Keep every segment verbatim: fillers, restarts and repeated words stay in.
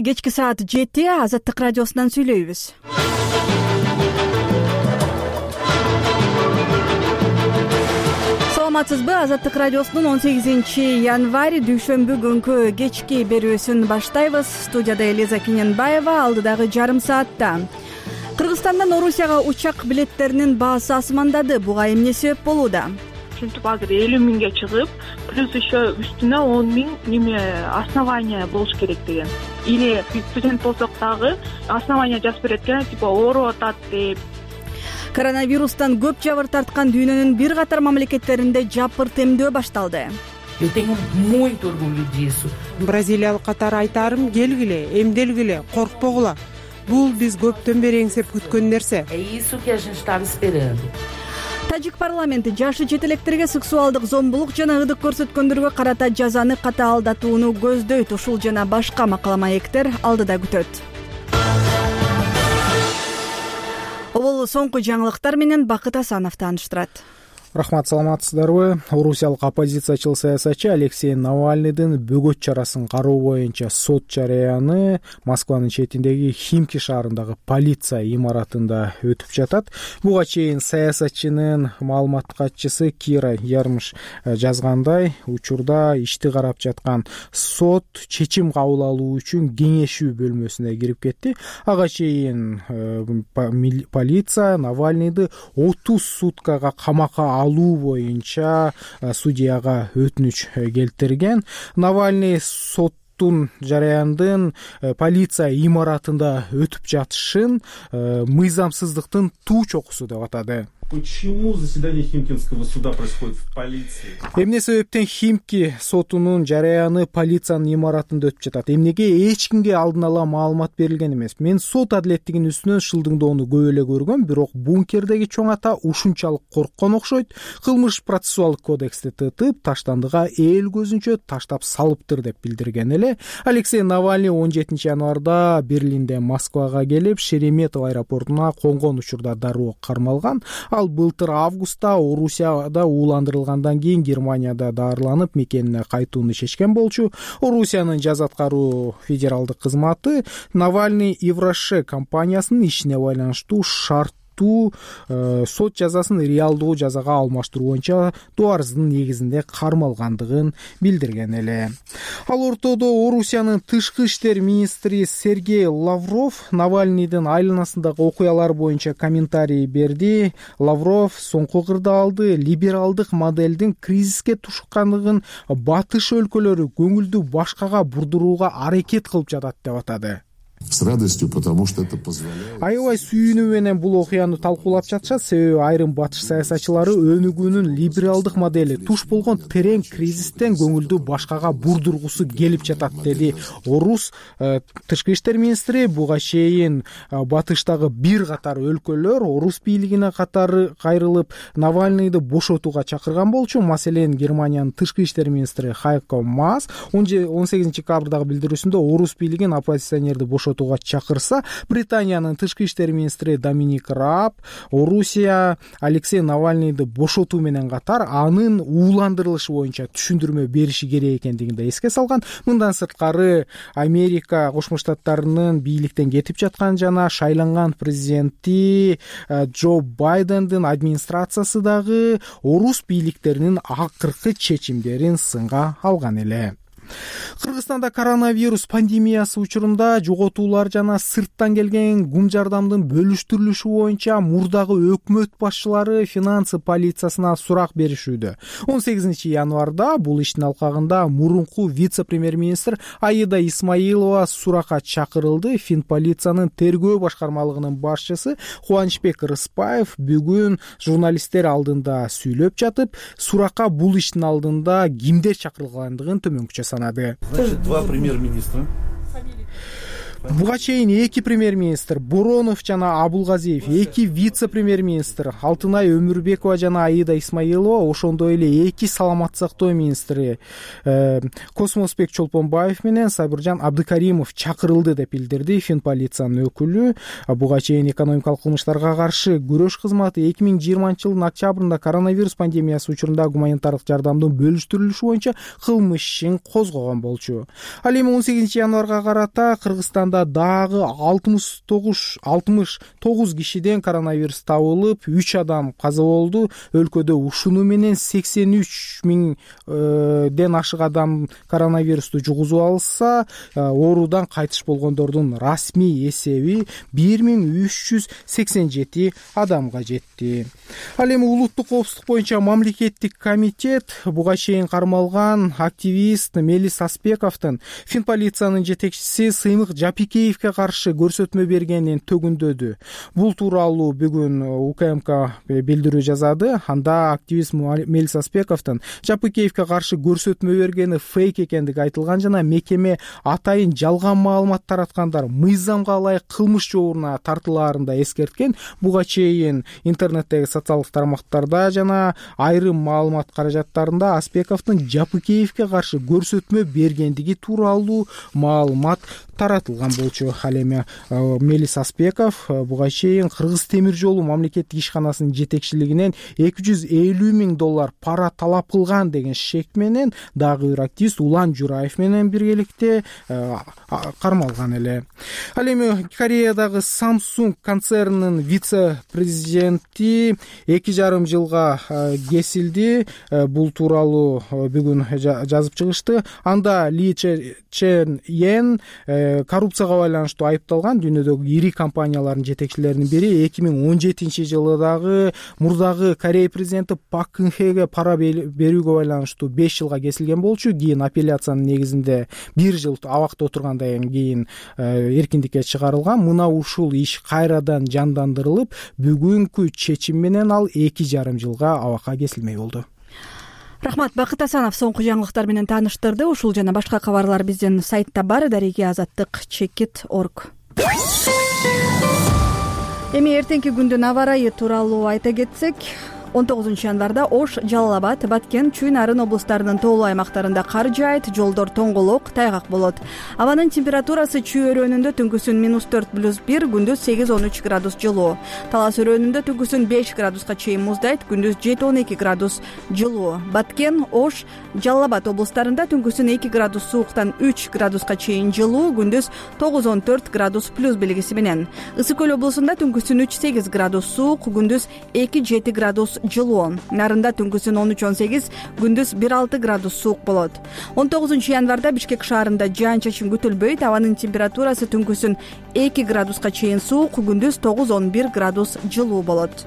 Кечки саат жети Азаттык радиосунан сүйлөйбүз. Саламатсызбы? Азаттык радиосунун он сегизинчи январь дүйшөмбү күнкү кечки берүүсүн баштайбыз. Студияда Элиза Кененбаева. Алдыдагы жарым саатта Кыргызстандан Орусияга учак билеттеринин баасы асмандады. Буга эмне себеп болууда? Ушинтип азыр элүү миңге чыгып, плюс еще үстүнө он миң неме основания болуш керек деген. Или студент болсок дагы основания жазып берет экен, типа ооруп атат деп. Коронавирустан көп жабыр тарткан дүйнөнүн бир катар мамлекеттеринде жапырт эмдөө башталды. Eu tenho muito orgulho disso. Бразилиялык катары айтарым, келгиле, эмделгиле, коркпогула. Бул биз көптөн бери эңсеп күткөн нерсе. É isso que a gente estava esperando. Тажик парламенти жашы жетелектерге сексуалдык зомбулук жана ырдык көрсөткөндөргө карата жазаны катаалдатууну көздөйт. Ушул жана башка макала маектер алдыда күтөт. Бул соңку жаңылыктар менен Бакыт Асанов тааныштырат. Рахмат, саламатсыздарбы? Орусиялык оппозициячыл саясатчы Алексей Навальныйдын бөгөт чарасын кароо боюнча сот жарыяны Москванын четиндеги Химки шаарындагы полиция имаратында өтүп жатат. Буга чейин саясатчынын маалымат катчысы Кира Ярмыш жазгандай, учурда ишти карап жаткан сот чечим кабыл алуу үчүн кеңешүү бөлмөсүнө кирип кетти. Ага чейин полиция Навальныйды отуз суткага камакка алуу боюнча судьяга өтүнүч келтирген. Навальный соттун жарыяндын полиция имаратында өтүп жатышын мыйзамсыздыктын туу чокусу деп атады. Почему заседание Химкинского суда происходит в полиции? Эмне себептен Химки сотунун жарыяны полициянын имаратында өтүп жатат? Эмнеге эч кимге алдын ала маалымат берилген эмес? Мен сот адилеттигинин үстүнөн шылдыңдоону көп эле көргөм, бирок бункердеги чоң ата ушунчалык корккон окшойт. Кылмыш процессуалдык кодексти тытып, таштандыга эл көзүнчө таштап салыптыр деп билдирген эле. Алексей Навальный он жетинчи январда Берлинден Москвага келип, Шереметьево аэропортуна конгон учурда дароо кармалган. Ал былтыр августта Орусияда ууландырылгандан кийин Германияда даарыланып мекенине кайтууну чечкен болчу. Орусиянын жаза аткаруу федералдык кызматы Навальный Евроше компаниясынын ишине байланыштуу шарт Э, сот жазасын реалдуу жазага алмаштыруу боюнча доо арыздын негизинде кармалгандыгын билдирген эле. Ал ортодо Орусиянын тышкы иштер министри Сергей Лавров Навальныйдын айланасындагы окуялар боюнча комментарий берди. Лавров соңку кырдаалды либералдык моделдин кризиске тушкандыгын батыш өлкөлөрү көңүлдү башкага бурдурууга аракет кылып жатат деп атады. С радостью, потому что это позволяет. Аябай сүйүнүү менен бул окуяны талкуулап жатышат, себеби айрым батыш саясатчылары өнүгүүнүн либералдык модели туш болгон терең кризистен көңүлдү башкага бурдургусу келип жатат, деди Орус э, тышкы иштер министри. Буга чейин э, батыштагы бир катар өлкөлөр Орус бийлигине катары кайрылып Навальныйды бошотууга чакырган болчу. Маселен, Германиянын тышкы иштер министри Хайко Маас он сегизинчи декабрдагы билдирүүсүндө Орус бийлигин оппозиционерди бошотууга чакырса, Британиянын тышкы иштер министри Доминик Раб Орусия Алексей Навальныйды бошотуу менен катар анын ууландырылышы боюнча түшүндүрмө бериши керек экендигин да эске салган. Мындан сырткары Америка Кошмо Штаттарынын бийликтен кетип жаткан жана шайланган президенти Джо Байдендин администрациясы дагы Орус бийликтеринин акыркы чечимдерин сынга алган эле. Кыргызстанда коронавирус пандемиясы учурунда жоготуулар жана сырттан келген гум жардамдын бөлүштүрүлүшү боюнча мурдагы өкмөт башчылары финансы полициясына сурак беришүүдө. он сегизинчи январда бул иштин алкагында мурунку вице-премьер-министр Аида Исмаилова суракка чакырылды. Фин полициянын тергөө башкармалыгынын башчысы Кубанычбек Рыспаев бүгүн журналисттер алдында сүйлөп жатып, суракка бул иштин алдында кимдер чакырылгандыгын төмөнкүчө санады. Значит, два премьер-министра. Буга чейин эки премьер-министр Боронов жана Абулгазиев, эки вице-премьер-министр Алтынай Өмүрбекова жана Аида Исмаилова, ошондой эле эки саламаттык сактоо министри Космосбек Чолпонбаев менен Сайбыржан Абдыкаримов чакырылды деп билдирди Финполициянын өкүлү. Буга чейин экономикалык кылмыштарга каршы күрөш кызматы эки миң жыйырманчы жылдын октябрында коронавирус пандемиясы учурунда гуманитардык жардамдын бөлүштүрүлүшү боюнча кылмыш ишин козгогон болчу. Ал эми он сегизинчи январга карата Кыргызстанда дагы алтымыш тогуз кишиден коронавирус табылып, үч адам каза болду. Өлкөдө ушуну менен сексен үч миңден ашык адам коронавирусту жугузуп алса, оорудан кайтыш болгондордун расмий эсеби бир миң үч жүз сексен жети адамга жетти. Ал эми улуттук коопсуздук боюнча мамлекеттик комитет буга чейин кармалган активист Мелис Аспековдун Финполициянын жетекчиси Сыймык Жапикеевге каршы көрсөтмө бергенин төгүндөдү. Бул тууралуу бүгүн УКМК билдирүү жазады. Анда активист Мелис Аспековдун Жапикеевге каршы көрсөтмө бергени фейк экендиги айтылган жана мекеме атайын жалган маалымат тараткандар мыйзамга ылайык кылмыш жообуна тартылаарын да эскерткен. Буга чейин интернеттеги социалдык тармактарда жана айрым маалымат каражаттарында Аспековдун Жапикеевге каршы көрсөтмө бергендиги тууралуу маалымат таратылган болчу. Ал эми Мелис Аспеков буга чейин Кыргыз темир жолу мамлекеттик ишканасынын жетекчилигинен эки жүз элүү миң доллар пара талап кылган деген шек менен дагы бир активист Улан Жураев менен биргеликте кармалган эле. Ал эми Кореядагы Samsung концернинин вице-президенти эки жарым жылга кесилди. Бул тууралуу бүгүн жазып чыгышты. Анда Ли Чен Йен коррупцияга байланыштуу айыпталган. Дүйнөдөгү ири компаниялардын жетекчилеринин бири. эки миң он жетинчи жылы дагы мурдагы Корея президенти Пак Кын Хеге пара берүүгө байланыштуу беш жылга кесилген болчу. Кийин апелляциянын негизинде бир жыл абакта отургандан кийин эркиндикке чыгарылган. Мына ушул иш кайрадан жандандырылып, бүгүнкү чечим менен ал эки жарым жылга абакка кесилмей болду. Рахмат, Бакыт Асанов соңку жаңылыктар менен тааныштырды. Ушул жана башка кабарлар биздин сайтта бар, дареги азаттык чекит точка орг. Эми эртеңки күндүн аба ырайы тууралуу айта кетсек, он тогузунчу январда Ош, Жалал Абад, Баткен, Чүй Нарын облустарынын тоолуу аймактарында кар жаайт, жолдор тоңголок, тайгак болот. Абанын температурасы Чүй өрөөнүндө түнкүсүн минус төрт плюс бир, күндүз сегиз он үч градус жылуу. Талас өрөөнүндө түнкүсүн беш градуска чейин муздайт, күндүз жети он эки градус жылуу. Баткен, Ош, Жалал Абад облустарында түнкүсүн эки градус сууктан үч градуска чейин жылуу, күндүз тогуз он төрт градус плюс белгиси менен. Ысык көл облусунда түнкүсүн үч сегиз градус суук, күндүз эки жети градус жылуу. Нарында түнкүсүн он үч он сегиз, күндүз бир алты градус суук болот. он тогузунчу январда Бишкек шаарында жаан-чачын күтүлбөйт. Абанын температурасы түнкүсүн эки градуска чейин суук, күндүз тогуз он бир градус жылуу болот.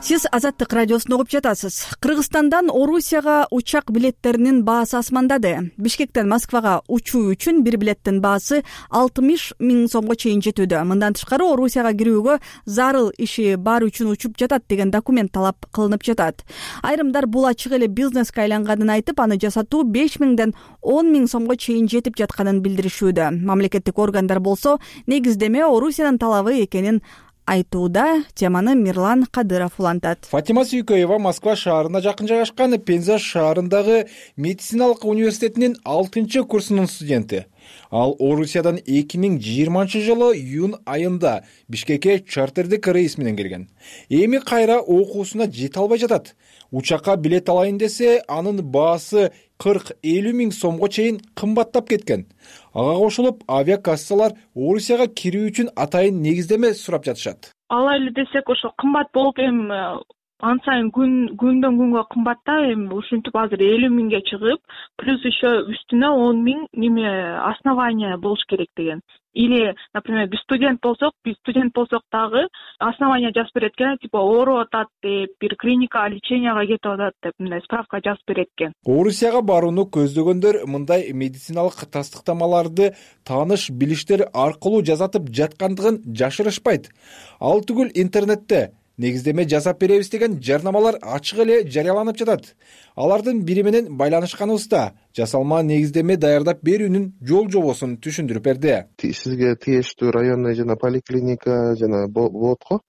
Сиз Азаттык радиосун угуп жатасыз. Кыргызстандан Орусияга учак билеттеринин баасы асмандады. Бишкектен Москвага учуу үчүн бир билеттин баасы алтымыш миң сомго чейин жетүүдө. Мындан тышкары Орусияга кирүүгө зарыл иши бар үчүн учуп жатат деген документ талап кылынып жатат. Айрымдар бул ачык эле бизнеске айланганын айтып, аны жасатуу беш миңден он миң сомго чейин жетип жатканын билдиришүүдө. Мамлекеттик органдар болсо негиздеме Орусиянын талабы экенин айтууда. Теманы Мирлан Кадыров улантат. Фатима Сүйкөева Москва шаарына жакын жайгашкан Пенза шаарындагы медициналык университетинин алтынчы курсунун студенти. Ал Орусиядан эки миң жыйырманчы жылы июнь айында Бишкекке чартердик рейс менен келген. Эми кайра окуусуна жете албай жатат. Учакка билет алайын десе, анын баасы кырк элүү миң сомго чейин кымбаттап кеткен. Ага кошулуп, авиакассалар Орусияга кирүү үчүн атайын негиздеме сурап жатышат. Алай эле десек, ошо кымбат болуп, эми ан сайын күн күндөн күнгө кымбатта, эми ушинтип азыр элүү миңге чыгып, плюс еще үстүнө он миң неме основание болуш керек деген. Или, например, биз студент болсок, биз студент болсок дагы основание жазып берет экен, типа ооруп атат деп, бир клиника леченияга кетип атат деп, мындай справка жазып берет экен. Орусияга барууну көздөгөндөр мындай медициналык тастыктамаларды тааныш билиштер аркылуу жасатып жаткандыгын жашырышпайт. Ал түгүл интернетте негиздеме жасап беребиз деген жарнамалар ачык эле жарыяланып жатат. Алардын бири менен байланышканыбызда жасалма негиздеме даярдап берүүнүн жол жобосун түшүндүрүп берди. Сизге тиештүү районный жана поликлиника жана болот го.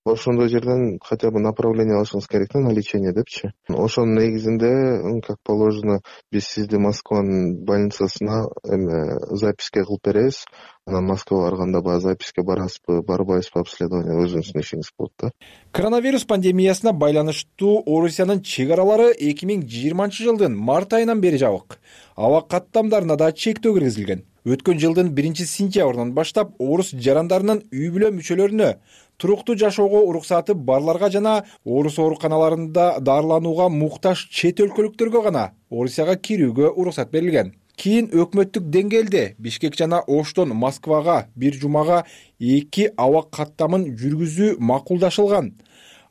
Ошондой жерден хотя бы направление алышыңыз керек на лечение депчи. Ошонун негизинде, как положено, биз сизди Москванын больницасына эме записке кылып беребиз. Анан Москвага барганда баягы записке барасызбы, барбайсызбы, обследование өзүңүздүн ишиңиз болот да. Коронавирус пандемиясына байланыштуу Орусиянын чек аралары эки миң жыйырманчы жылдын март айынан бери жабык. Аба каттамдарына да чектөө киргизилген. Өткөн жылдын биринчи сентябрынан баштап орус жарандарынын үй бүлө мүчөлөрүнө туруктуу жашоого уруксаты барларга жана орус ооруканаларында дарыланууга муктаж чет өлкөлүктөргө гана Орусияга кирүүгө уруксат берилген. Кийин өкмөттүк деңгээлде Бишкек жана Оштон Москвага бир жумага эки аба каттамын жүргүзүү макулдашылган.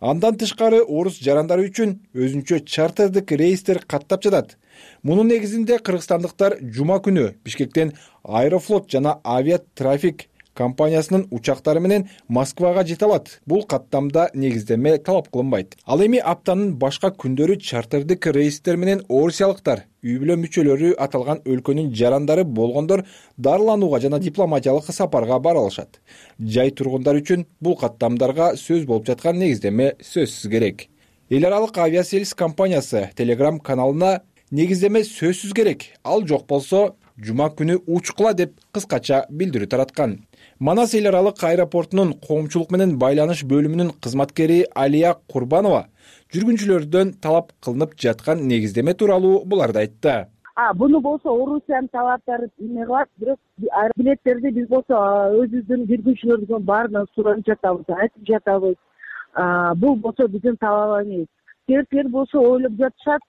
Андан тышкары орус жарандары үчүн өзүнчө чартердик рейстер каттап жатат. Мунун негизинде кыргызстандыктар жума күнү Бишкектен Аэрофлот жана Авиатрафик компаниясынын учактары менен Москвага жете алат. Бул каттамда негиздеме талап кылынбайт. Ал эми аптанын башка күндөрү чартердик рейстер менен орусиялыктар, үй бүлө мүчөлөрү аталган өлкөнүн жарандары болгондор дарыланууга жана дипломатиялык сапарга бара алышат. Жай тургундар үчүн бул каттамдарга сөз болуп жаткан негиздеме сөзсүз керек. Эл аралык авиасервис компаниясы Telegram каналына негиздеме сөзсүз керек, ал жок болсо жума күнү учкула деп кыскача билдирүү тараткан. Манас эл аралык аэропортунун коомчулук менен байланыш бөлүмүнүн кызматкери Алия Курбанова жүргүнчүлөрдөн талап кылынып жаткан негиздеме тууралуу буларды айтты. А буну болсо Орусиянын талаптары эме кылат, бирок билеттерди биз болсо өзүбүздүн жүргүнчүлөрдүн баарынан сурап жатабыз, айтып жатабыз. Бул болсо биздин талап эмес. Кээдкилер болсо ойлоп жатышат,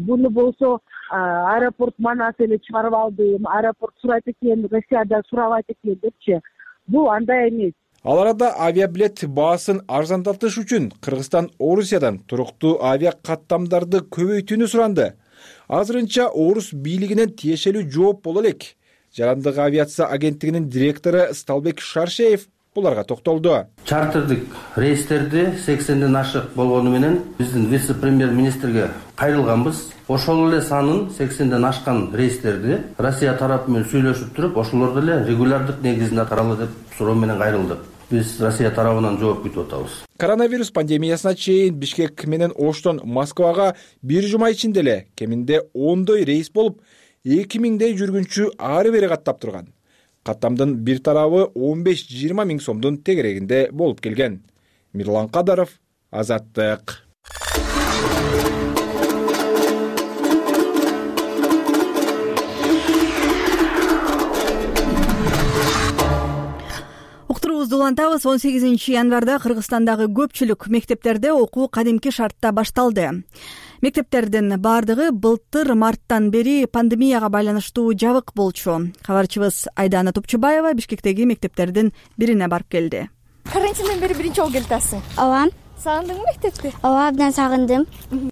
буну болсо аэропорт Манас эле чыгарып алды, аэропорт сурайт экен, Россияда сурабайт экен депчи. Бул андай эмес. Ал арада авиабилет баасын арзандатыш үчүн Кыргызстан Орусиядан туруктуу авиа каттамдарды көбөйтүүнү суранды. Азырынча орус бийлигинен тиешелүү жооп боло элек. Жарандык авиация агенттигинин директору Сталбек Шаршеев буларга токтолду. Чартердик рейстерди сексенден ашык болгону менен биздин вице-премьер-министрге кайрылганбыз. Ошол эле санын сексенден ашкан рейстерди Россия тарапы менен сүйлөшүп туруп, ошолорду эле регулярдык негизинде каралы деп суроо менен кайрылдык. Биз Россия тарабынан жооп күтүп атабыз. Коронавирус пандемиясына чейин Бишкек менен Оштон Москвага бир жума ичинде эле кеминде ондой рейс болуп, эки миңдей жүргүнчү ары бери каттап турган. Каттамдын бир тарабы он беш жыйырма миң сомдун тегерегинде болуп келген. Мирлан Кадаров, Азаттык. Уктуруубузду улантабыз. он сегизинчи январда Кыргызстандагы көпчүлүк мектептерде окуу кадимки шартта башталды. Мектептердин баардыгы былтыр марттан бери пандемияга байланыштуу жабык болчу. Кабарчыбыз Айдана Топчубаева Бишкектеги мектептердин бирине барып келди. Карантинден бери биринчи жолу келип атасың? Ооба. Сагындыңбы мектепти? Ооба, абдан сагындым.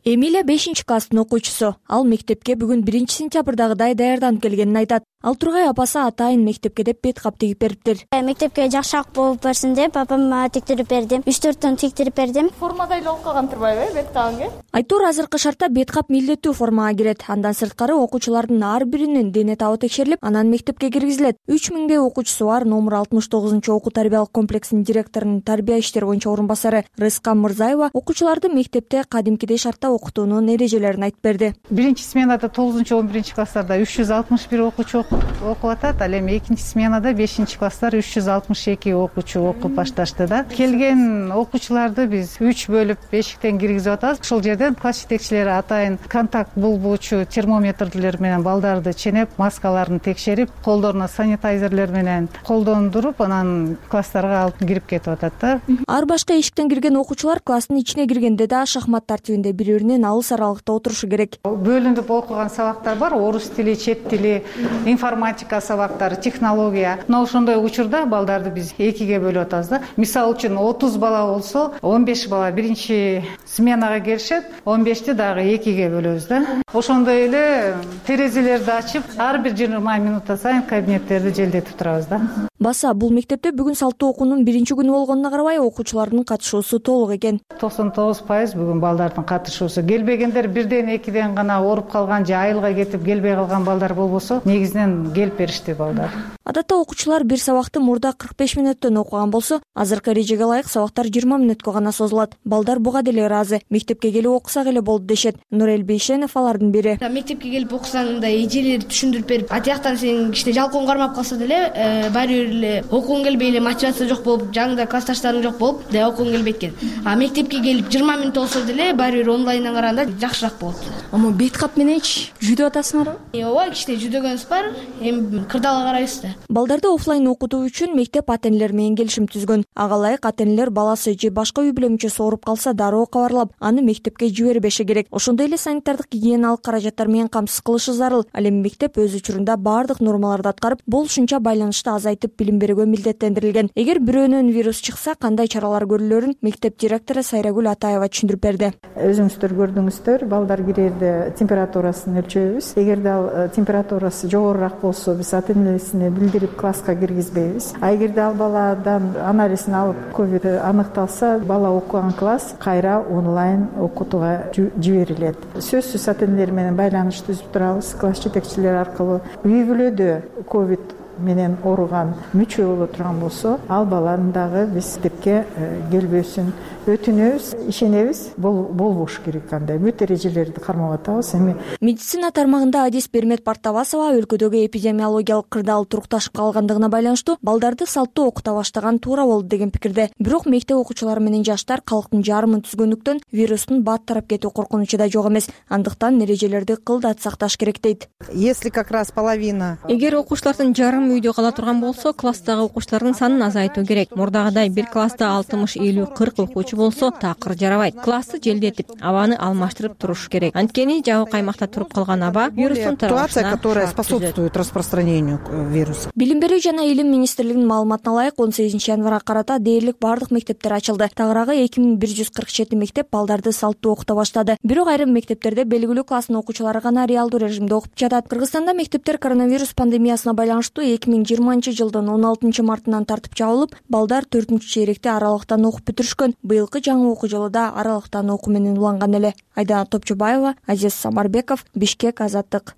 Эмилия бешинчи класстын окуучусу. Ал мектепке бүгүн биринчи сентябрдагыдай даярданып келгенин айтат. Ал Тургай апасы атайын мектепке деп бет кап тигип бериптир. Мектепке жакшыраак болуп берсин деп папам мага тиктирип берди. үч төрт тон тиктирип бердим. Формада эле болуп калган турбайбы бет кабыңы? Айтор азыркы шартта бет кап милдеттүү формага кирет. Андан сырткары окуучулардын ар биринин дене табы текшерилип, анан мектепке киргизилет. үч миңдей окуучусу бар номер алтымыш тогузунчу окуу тарбиялык комплексинин директорунун тарбия иштери боюнча орун басары Рыскан Мырзаева окуучуларды мектепте кадимкидей шартта окутуунун эрежелерин айтып берди. Биринчи сменада тогузунчу он биринчи класстарда үч жүз алтымыш бир окуучу окуп атат. Ал эми экинчи сменада бешинчи класстар үч жүз алтымыш эки окуучу окуп башташты да. Келген окуучуларды биз үч бөлүп эшиктен киргизип атабыз. Ошол жерден класс жетекчилери атайын контакт булбуучу термометрлер менен балдарды ченеп, маскаларын текшерип, колдоруна санитайзерлер менен колдондуруп, анан класстарга алып кирип кетип атат да. Ар башка эшиктен кирген окуучулар класстын ичине киргенде да шахмат тартибинде бири-биринен алыс аралыкта отурушу керек. Бөлүнүп окуган сабактар бар: орус тили, чет тили, информатика сабактары, технология. Но ошондой учурда балдарды биз экиге бөлүп атабыз да. Мисалы үчүн отуз бала болсо, он беш бала биринчи сменага келишет, он бешти дагы экиге бөлөбүз да. Ошондой эле терезелерди ачып, ар бир жыйырма минутта сайын кабинеттерди желдетип турабыз да. Баса бул мектепте бүгүн салттуу окуунун биринчи күнү болгонуна карабай окуучулардын катышуусу толук экен. токсон тогуз пайыз бүгүн балдардын катышуусу. Келбегендер бирден экиден гана ооруп калган же айылга кетип келбей калган балдар болбосо негизинен келип беришти балдар. Адатта окуучулар бир сабакты мурда кырк беш мүнөттөн окуган болсо, азыркы эрежеге ылайык сабактар жыйырма мүнөткө гана созулат. Балдар буга деле ыраазы. Мектепке келип окусак эле болду дешет. Нурел Бейшенов алардын бири. Мектепке келип окусаң мындай эжелер түшүндүрүп берип, атияктан сен кичине жалкоон кармап калса деле, баары бир эле окугуң келбей эле, мотивация жок болуп, жаныңда классташтарың жок болуп, да окугуң келбейт экен. А мектепке келип жыйырма мүнөт болсо деле, баары бир онлайндан караганда жакшыраак болот. Омо бет кап мененчи жүдө атасыңарбы? Ооба, кичине жүдөгөнүбүз бар, эми кырдаала карайбыз да. Балдарды офлайн окутуу үчүн мектеп ата-энелер менен келишим түзгөн. Ага ылайык ата-энелер баласы же башка үй бүлө мүчөсү ооруп калса дароо кабарлап, аны мектепке жибербеши керек. Ошондой эле санитардык гигиеналык каражаттар менен камсыз кылышы зарыл. Ал эми мектеп өз учурунда баардык нормаларды аткарып, болушунча байланышты азайтып билим берүүгө милдеттендирилген. Эгер бирөөнөн вирус чыкса, кандай чаралар көрүлөрүн мектеп директору Сайрагүл Атаева түшүндүрүп берди. Өзүңүздөр көрдүңүздөр, балдар кирерде температурасын өлчөйбүз. Эгерде ал температурасы жогорураак болсо, биз ата-энесине билдирип класска киргизбейбиз. А эгерде ал баладан анализин алып ковид аныкталса, бала окуган класс кайра онлайн окутууга жиберилет. Сөзсүз ата-энелер менен байланыш түзүп турабыз, класс жетекчилери аркылуу. Үй бүлөдө ковид менен ооруган мүчө боло турган болсо, ал баланын дагы биз мектепке келбөөсүн өтүнөбүз, ишенебиз. Болбош керек, кандай бүт эрежелерди кармап атабыз. Эми медицина тармагында адис Бермет Партабасова өлкөдөгү эпидемиологиялык кырдаал турукташып калгандыгына байланыштуу балдарды салттуу окута баштаган туура болду деген пикирде. Бирок мектеп окуучулары менен жаштар калктын жарымын түзгөндүктөн вирустун бат тарап кетүү коркунучу да жок эмес. Андыктан эрежелерди кылдат сакташ керек дейт. Если как раз половина. Эгер окуучулардын жарым үйдө кала турган болсо, класстагы окуучулардын санын азайтуу керек. Мурдагыдай бир класста алтымыш элүү кырк окуучу болсо такыр жарабайт. Классты желдетип, абаны алмаштырып туруш керек. Анткени жабык аймакта туруп калган аба вирустун таралышына ситуация, которая способствует распространению вируса. Билим берүү жана илим министрлигинин маалыматына ылайык он сегизинчи январга карата дээрлик баардык мектептер ачылды. Тагыраагы эки миң бир жүз кырк жети мектеп балдарды салттуу окута баштады. Бирок айрым мектептерде белгилүү класстын окуучулары гана реалдуу режимде окуп жатат. Кыргызстанда мектептер коронавирус пандемиясына байланыштуу эки миң жыйырманчы жылдын он алтынчы мартынан тартып жабылып, балдар төртүнчү чейректе аралыктан окуп бүтүрүшкөн. Быйылкы жаңы окуу жылыда аралыктан окуу менен уланган эле. Айдана Топчубаева, Азиз Самарбеков, Бишкек, Азаттык.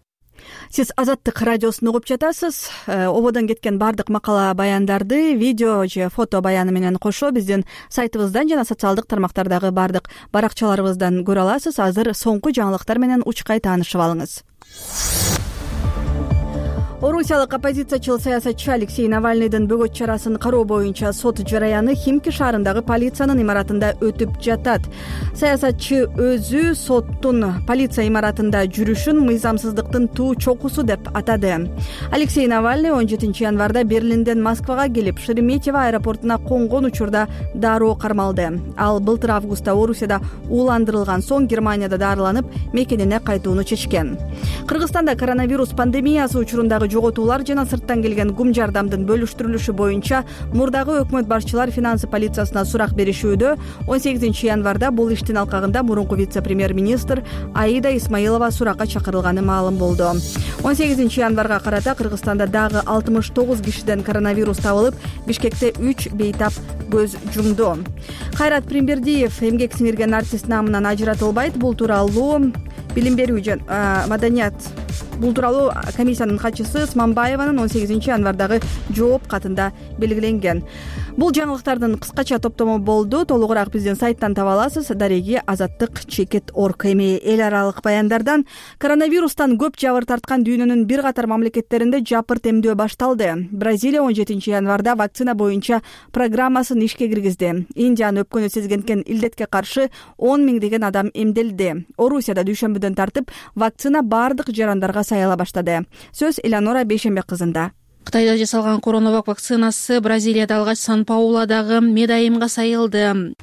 Сиз Азаттык радиосун угуп жатасыз. Ободон кеткен баардык макала баяндарды видео же фото баяны менен кошо биздин сайтыбыздан жана социалдык тармактардагы баардык баракчаларыбыздан көрө аласыз. Азыр соңку жаңылыктар менен учкай таанышып алыңыз. Орусиялык оппозициячыл саясатчы Алексей Навальныйдын бөгөт чарасын кароо боюнча сот жараяны Химки шаарындагы полициянын имаратында өтүп жатат. Саясатчы өзү соттун полиция имаратында жүрүшүн мыйзамсыздыктын туу чокусу деп атады. Алексей Навальный он жетинчи январда Берлинден Москвага келип, Шереметьево аэропортуна конгон учурда дароо кармалды. Ал былтыр августта Орусияда ууландырылган соң Германияда дарыланып, мекенине кайтууну чечкен. Кыргызстанда коронавирус пандемиясы учурундагы жоготуулар жана сырттан келген гум жардамдын бөлүштүрүлүшү боюнча мурдагы өкмөт башчылар финансы полициясына сурак беришүүдө. он сегизинчи январда бул иштин алкагында мурунку вице-премьер-министр Аида Исмаилова суракка чакырылганы маалым болду. он сегизинчи январга карата Кыргызстанда дагы алтымыш тогуз кишиден коронавирус табылып, Бишкекте үч бейтап көз жумду. Кайрат Примбердиев эмгек сиңирген артист намынан ажыратылбайт. Бул тууралуу билим берүү жана маданият Бул тууралуу комиссиянын катчысы Сманбаеванын он сегизинчи январдагы жооп катында белгиленген. Бул жаңылыктардын кыскача топтому болду. Толугураак биздин сайттан таба аласыз. Дареги Азаттык чекит орг. Эми эл аралык баяндардан коронавирустан көп жабыр тарткан дүйнөнүн бир катар мамлекеттеринде жапырт эмдөө башталды. Бразилия он жетинчи январда вакцина боюнча программасын ишке киргизди. Индиянын өпкөнү сезгенкен илдетке каршы он миңдеген адам эмделди. Орусияда дүйшөмбүдөн тартып вакцина баардык жарандарга саяла баштады. Сөз Элеонора Бейшембек кызында. Кытайда жасалган коронавак вакцинасы Бразилияда алгач Сан-Пауладагы медайымга сайылды.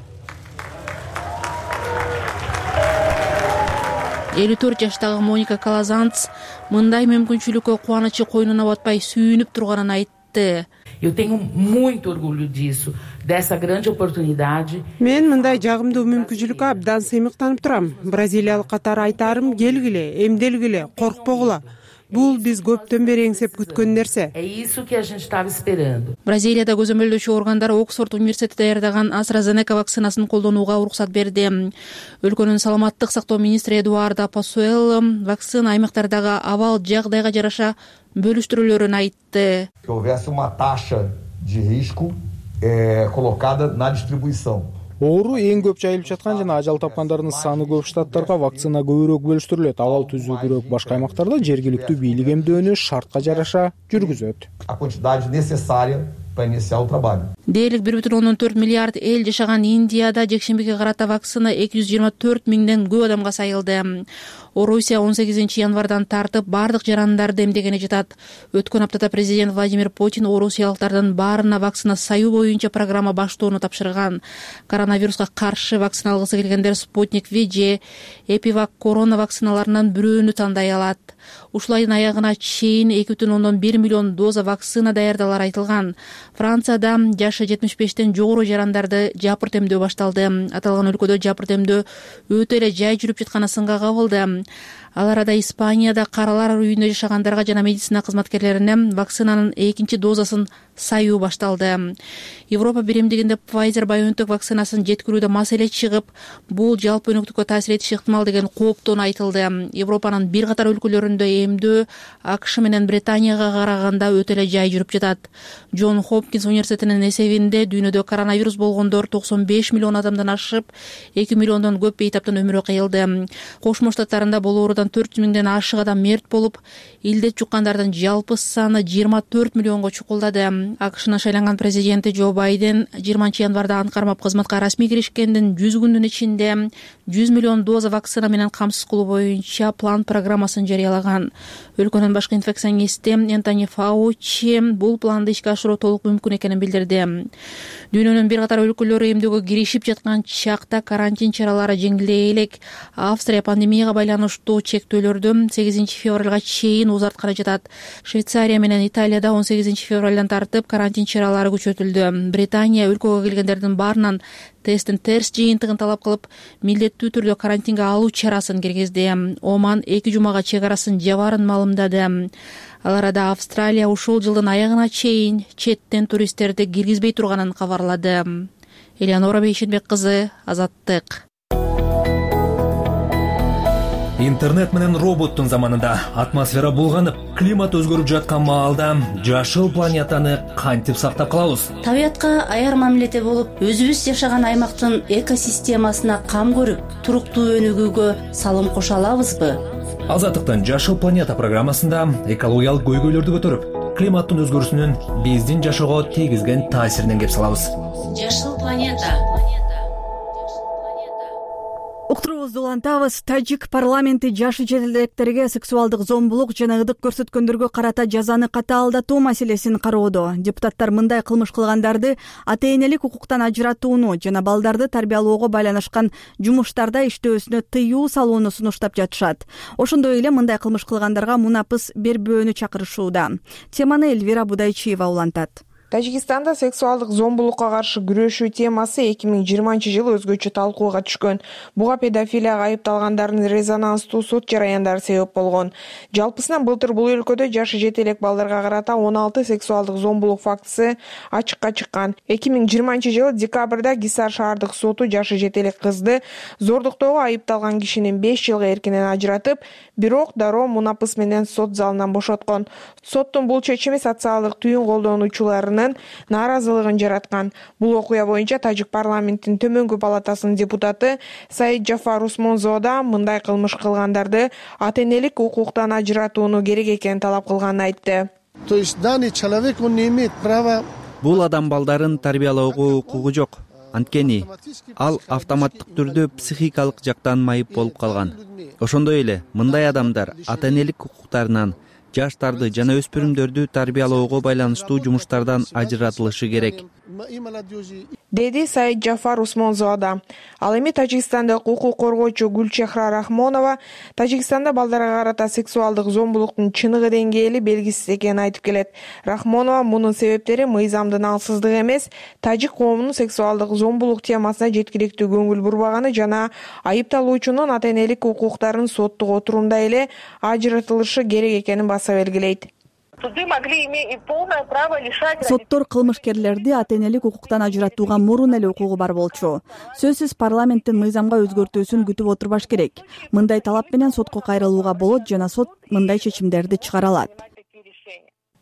элүү төрт жаштагы Моника Калазанц мындай мүмкүнчүлүккө кубанычы койнуна батпай сүйүнүп турганын айтты. Eu tenho muito orgulho disso, dessa grande oportunidade. Мен мындай жагымдуу мүмкүнчүлүккө абдан сыймыктанып турам. Бразилиялык катары айтарым, келгиле, эмделгиле, коркпогула. бул биз көптөн бери эңсеп күткөн нерсе. Бразилияда көзөмөлдөөчү органдар Оксфорд университети даярдаган AstraZeneca вакцинасын колдонууга уруксат берди. Өлкөнүн саламаттык сактоо министри Эдуардо Пасуэлло вакцина аймактардагы абал жагдайга жараша бөлүштүрүлөрүн айтты. Оору эң көп жайылып жаткан жана ажал тапкандардын саны көп штаттарга вакцина көбүрөөк бөлүштүрүлөт. Абал түзүүгүрөөк башка аймактарда жергиликтүү бийлик эмдөөнү шартка жараша жүргүзөт. Дээрлик бир бүтүн ондон төрт миллиард эл жашаган Индияда жекшембиге карата вакцина эки жүз жыйырма төрт миңден көп адамга сайылды. Орусия он сегизинчи январдан тартып бардык жарандарды эмдегени жатат. Өткөн аптада президент Владимир Путин орусиялыктардын баарына вакцина саюу боюнча программа баштоону тапшырган. Коронавируска каршы вакцина алгысы келгендер Спутник V же Эпивак корона вакциналарынан бирөөнү тандай алат. Ушул айдын аягына чейин эки бүтүн ондон бир миллион доза вакцина даярдалар айтылган. Францияда жашы жетимиш бештен жогору жарандарды жапырт эмдөө башталды. Аталган өлкөдө жапырт эмдөө өтө эле жай жүрүп жатканы сынга кабылды. Ал арада Испанияда каралар үйүндө жашагандарга жана медицина кызматкерлерине вакцинанын экинчи дозасын саюу башталды. Европа биримдигинде Pfizer-BioNTech вакцинасын жеткирүүдө маселе чыгып, бул жалпы өнүктүккө таасир этиши ыктымал деген кооптон айтылды. Европанын бир катар өлкөлөрүндө эмдөө АКШ менен Британияга караганда өтө эле жай жүрүп жатат. Джон Хопкинс университетинин эсебинде дүйнөдө коронавирус болгондор токсон беш миллион адамдан ашып, эки миллиондон көп бейтаптан өмүрү кыйылды. Кошмо Штаттарында бул оорудан төрт жүз миңден ашык адам мерт болуп, илдет жуккандардын жалпы саны жыйырма төрт миллионго чукулдады. АКШнын шайланган президенти Джо Байден жыйырманчы январда ант кармап кызматка расмий киришкендин жүз күндүн ичинде жүз миллион доза вакцина менен камсыз кылуу боюнча план программасын жарыялаган. Өлкөнүн башкы инфекционисти Энтони Фаучи бул планды ишке ашыруу толук мүмкүн экенин билдирди. Дүйнөнүн бир катар өлкөлөрү эмдөөгө киришип жаткан чакта карантин чаралары жеңилдей элек. Австрия пандемияга байланыштуу чектөөлөрдү сегизинчи февралга чейин узартканы жатат. Швейцария менен Италияда он сегизинчи февралдан тартып карантин чаралары күчөтүлдү. Британия өлкөгө келгендердин баарынан тесттин терс жыйынтыгын талап кылып, милдеттүү түрдө карантинге алуу чарасын киргизди. Оман эки жумага чек арасын жабаарын маалымдады. Ал арада Австралия ушул жылдын аягына чейин четтен туристтерди киргизбей турганын кабарлады. Элеонора Бейшенбек кызы, Азаттык. Интернет менен роботтун заманында атмосфера булганып, климат өзгөрүп жаткан маалда жашыл планетаны кантип сактап калабыз? Табиятка аяр мамиледе болуп, өзүбүз жашаган аймактын экосистемасына кам көрүп, туруктуу өнүгүүгө салым кошо алабызбы? Азаттыктын Жашыл планета программасында экологиялык көйгөйлөрдү көтөрүп, климаттын өзгөрүүсүнүн биздин жашоого тийгизген таасиринен кеп салабыз. Жашыл планета. Уктуруубузду улантабыз. Тажик парламенти жаш жетелдектерге сексуалдык зомбулук жана ырдык көрсөткөндөргө карата жазаны катаалдатуу маселесин кароодо. Депутаттар мындай кылмыш кылгандарды ата-энелик укуктан ажыратууну жана балдарды тарбиялоого байланышкан жумуштарда иштөөсүнө тыюу салууну сунуштап жатышат. Ошондой эле мындай кылмыш кылгандарга мунапыс бербөөнү чакырышууда. Теманы Эльвира Будайчиева улантат. Тажикстанда сексуалдык зомбулукка каршы күрөшүү темасы эки миң жыйырманчы жылы өзгөчө талкууга түшкөн. Буга педофилияга айыпталгандардын резонанстуу сот жараяндары себеп болгон. Жалпысынан былтыр бул өлкөдө жашы жетелек балдарга карата он алты сексуалдык зомбулук фактысы ачыкка чыккан. эки миң жыйырманчы жылы декабрда Гисар шаардык соту жашы жетелек кызды зордуктоого айыпталган кишинин беш жылга эркинен ажыратып, бирок дароо мунапыс менен сот залынан бошоткон. Соттун бул чечими социалдык түйүн колдонуучуларынын нааразылыгын жараткан. Бул окуя боюнча Тажик парламенттин төмөнкү палатасынын депутаты Саид Джафар Усмонзо да мындай кылмыш кылгандарды ата-энелик укуктан ажыратууну керек экенин талап кылганын айтты. Бул адам балдарын тарбиялоого укугу жок. Анткени ал автоматтык түрдө психикалык жактан майып болуп калган. Ошондой эле мындай адамдар ата-энелик укуктарынан, жаштарды жана өспүрүмдөрдү тарбиялоого байланыштуу жумуштардан ажыратылышы керек. деди Саид Жафар Усмонзода. Ал эми тажикстандык укук коргоочу Гүлчехра Рахмонова Тажикстанда балдарга карата сексуалдык зомбулуктун чыныгы деңгээли белгисиз экенин айтып келет. Рахмонова мунун себептери мыйзамдын алсыздыгы эмес, тажик коомунун сексуалдык зомбулук темасына жеткиликтүү көңүл бурбаганы жана айыпталуучунун ата энелик укуктарын соттук отурумда эле ажыратылышы керек экенин баса белгилейт. Соттор кылмышкерлерди ата энелик укуктан ажыратууга мурун эле укугу бар болчу. Сөзсүз парламенттин мыйзамга өзгөртүүсүн күтүп отурбаш керек. Мындай талап менен сотко кайрылууга болот жана сот мындай чечимдерди чыгара алат,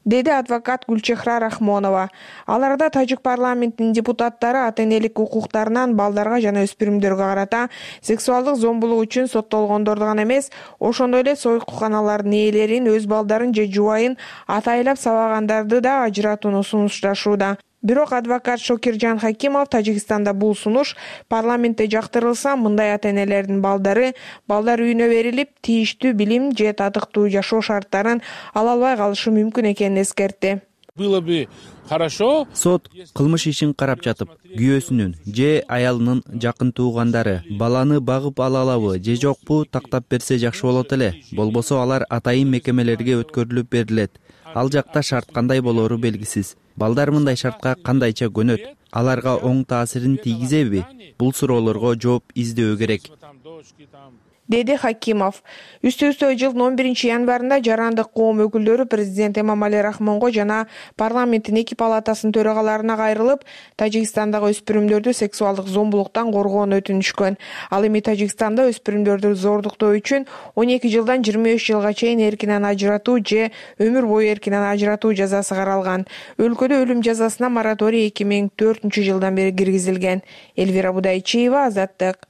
деди адвокат Гүлчехра Рахмонова. Ал арада тажик парламентинин депутаттары ата энелик укуктарынан балдарга жана өспүрүмдөргө карата сексуалдык зомбулук үчүн соттолгондорду гана эмес, ошондой эле сойкуканалардын ээлерин, өз балдарын же жубайын атайлап сабагандарды да ажыратууну сунушташууда. Бирок адвокат Шокиржан Хакимов Тажикстанда бул сунуш парламентте жактырылса, мындай ата энелердин балдары балдар үйүнө берилип, тийиштүү билим же татыктуу жашоо шарттарын ала албай калышы мүмкүн экенин эскертти. Было бы хорошо. Сот кылмыш ишин карап жатып, күйөөсүнүн же аялынын жакын туугандары баланы багып ала алабы же жокпу тактап берсе жакшы болот эле. Болбосо алар атайын мекемелерге өткөрүлүп берилет. Ал жакта шарт кандай болору белгисиз. Балдар мындай шартка кандайча көнөт? Аларга оң таасирин тийгизеби? Бул суроолорго жооп издөө керек, деди Хакимов. Үстү-үстү жылдын он биринчи январында жарандык коом өкүлдөрү президент Эмомали Рахмонго жана парламенттин эки палатасынын төрагаларына кайрылып, Тажикстандагы өспүрүмдөрдү сексуалдык зомбулуктан коргоону өтүнүшкөн. Ал эми Тажикстанда өспүрүмдөрдү зордуктоо үчүн он эки жылдан жыйырма үч жылга чейин эркинен ажыратуу же өмүр бою эркинен ажыратуу жазасы каралган. Өлкөдө өлүм жазасына мораторий эки миң төртүнчү жылдан бери киргизилген. Элвира Будайчиева, Азаттык.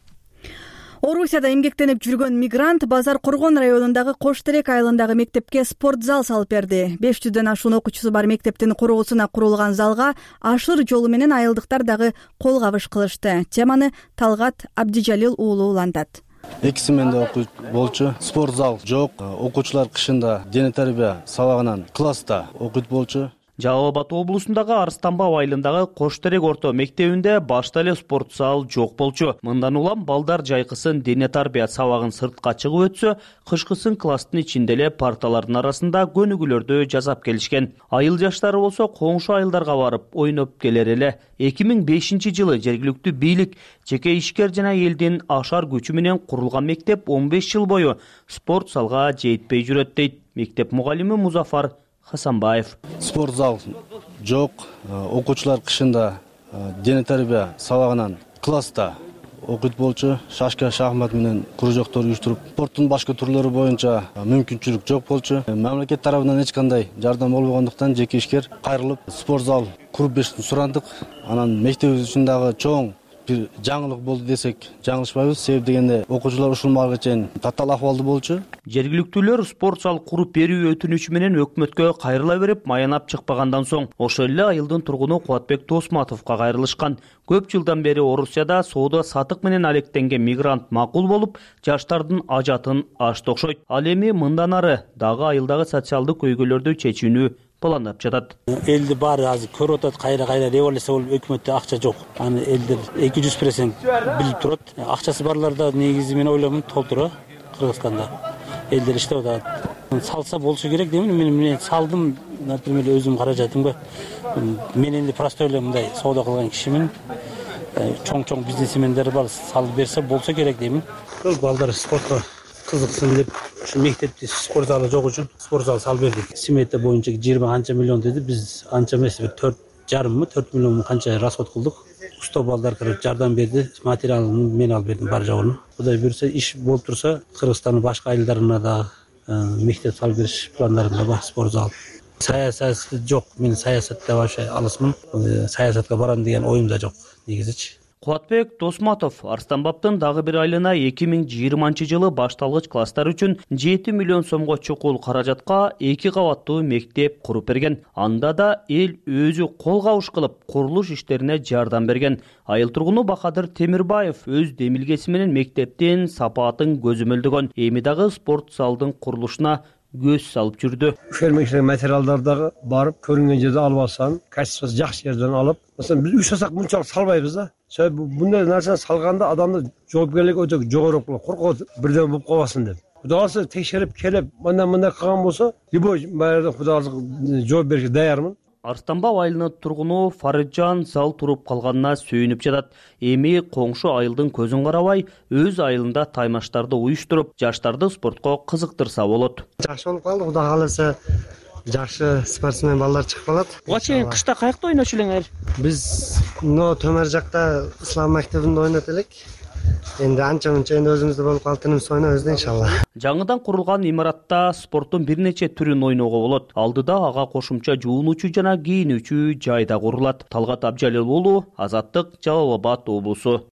Орусияда эмгектенип жүргөн мигрант Базар Коргон районундагы Кош Терек айылындагы мектепке спорт зал салып берди. беш жүздөн ашуун окуучусу бар мектептин короосуна курулган залга ашыр жолу менен айылдыктар дагы кол кабыш кылышты. Теманы Талгат Абдижалил уулу улантат. эки сменде окуйт болчу. Спорт зал жок. Окуучулар кышында дене тарбия сабагынан класста окуйт болчу. Жалал Абад облусундагы Арстанбаб айылындагы Кош Терек орто мектебинде башта эле спорт зал жок болчу. Мындан улам балдар жайкысын дене тарбия сабагын сыртка чыгып өтсө, кышкысын класстын ичинде эле парталардын арасында көнүгүүлөрдү жасап келишкен. Айыл жаштары болсо коңшу айылдарга барып ойноп келер эле. эки миң бешинчи жылы жергиликтүү бийлик, жеке ишкер жана элдин ашар күчү менен курулган мектеп он беш жыл бою спорт залга жетпей жүрөт дейт мектеп мугалими Музафар Хасанбаев. Спорт зал жок. Окуучулар кышында дене тарбия сабагынан класста окуйт болчу. Шашка, шахмат менен кружоктор уюштуруп, спорттун башка түрлөрү боюнча мүмкүнчүлүк жок болчу. Мамлекет тарабынан эч кандай жардам болбогондуктан жеке ишкер кайрылып спорт зал куруп беришин сурандык. Анан мектебибиз үчүн дагы чоң бир жаңылык болду десек жаңылышпайбыз. Себеп дегенде окуучулар ушул маалга чейин татаал акыбалда болчу. Жергиликтүүлөр спорт зал куруп берүү өтүнүчү менен өкмөткө кайрыла берип, маянап чыкпагандан соң ошол эле айылдын тургуну Кубатбек Досматовго кайрылышкан. Көп жылдан бери Орусияда соода сатык менен алектенген мигрант макул болуп, жаштардын ажатын ашты окшойт. Ал эми мындан ары дагы айылдагы социалдык көйгөйлөрдү чечүүнү пландап жатат. Элди баары азыр көрүп атат, кайра-кайра революция болуп, өкмөттө акча жок. Аны элдер эки жүз процент билип турат. Акчасы барларда негизи мен ойлоймун толтура Кыргызстанда. Элдер иштеп атат. Салса болсу керек деймин. Мен мен салдым, например, өзүм каражатымга. Мен энди просто эле мындай соода кылган кишимин. Чоң-чоң бизнесмендер бар, салып берсе болсо керек деймин. Көп балдар спортко кызыксын деп ушу мектепте спорт залы жок үчүн спорт зал салып бердик. Смета боюнча жыйырма канча миллион деди. Биз анча эмес, бир төрт жарыммы, төрт миллион канча расход кылдык. Устоо балдар кирип жардам берди. Материалын мен алып бердим бар жогун. Кудай буйрса, иш болуп турса, Кыргызстандын башка айылдарына да мектеп салып бериш пландарында бар спорт зал. Саясат жок. Мен саясатта вообще алысмын. Саясатка барам деген оюм да жок негизичи. Кубатбек Досматов Арстанбабтын дагы бир айылына эки миң жыйырманчы жылы башталгыч класстар үчүн жети миллион сомго чукул каражатка эки кабаттуу мектеп куруп берген. Анда да эл өзү кол кабыш кылып курулуш иштерине жардам берген. Айыл тургуну Бакадыр Темирбаев өз демилгеси менен мектептин сапатын көзөмөлдөгөн. Эми дагы спорт залдын курулушуна көз салып жүрдү. Фермерлик материалдар дагы барып көрүнгөн жерде алып алсаң, качествосу жакшы жерден алып, маселен биз үч сасак мынчалык салбайбыз да. Себеби мындай нерсени салганда адамдын жоопкерлиги өтө жогору болот, коркот бирдеме болуп калбасын деп. Кудай кааласа текшерип келип, мындай мындай кылган болсо, любой баягы Кудай кааласа жооп беришке даярмын. Арыстанбап айылынын тургуну Фарыджан зал туруп калганына сүйүнүп жатат. Эми коңшу айылдын көзүн карабай, өз айылында таймаштарды уюштуруп, жаштарды спортко кызыктырса болот. Жакшы болуп калды, Кудай кааласа жакшы спортсмен балдар чыгып калат. Буга чейин кышта каякта ойночу элеңер? Биз но төмөр жакта ислам мектебинде ойнот элек. Энди анча мынча энди өзүбүздө болуп калды, тынымсыз ойнойбуз да иншалла. Жаңыдан курулган имаратта спорттун бир нече түрүн ойноого болот. Алдыда ага кошумча жуунуучу жана кийинүүчү жай да курулат. Талгат Абжалил уулу, Азаттык, Жалал Абад облусу.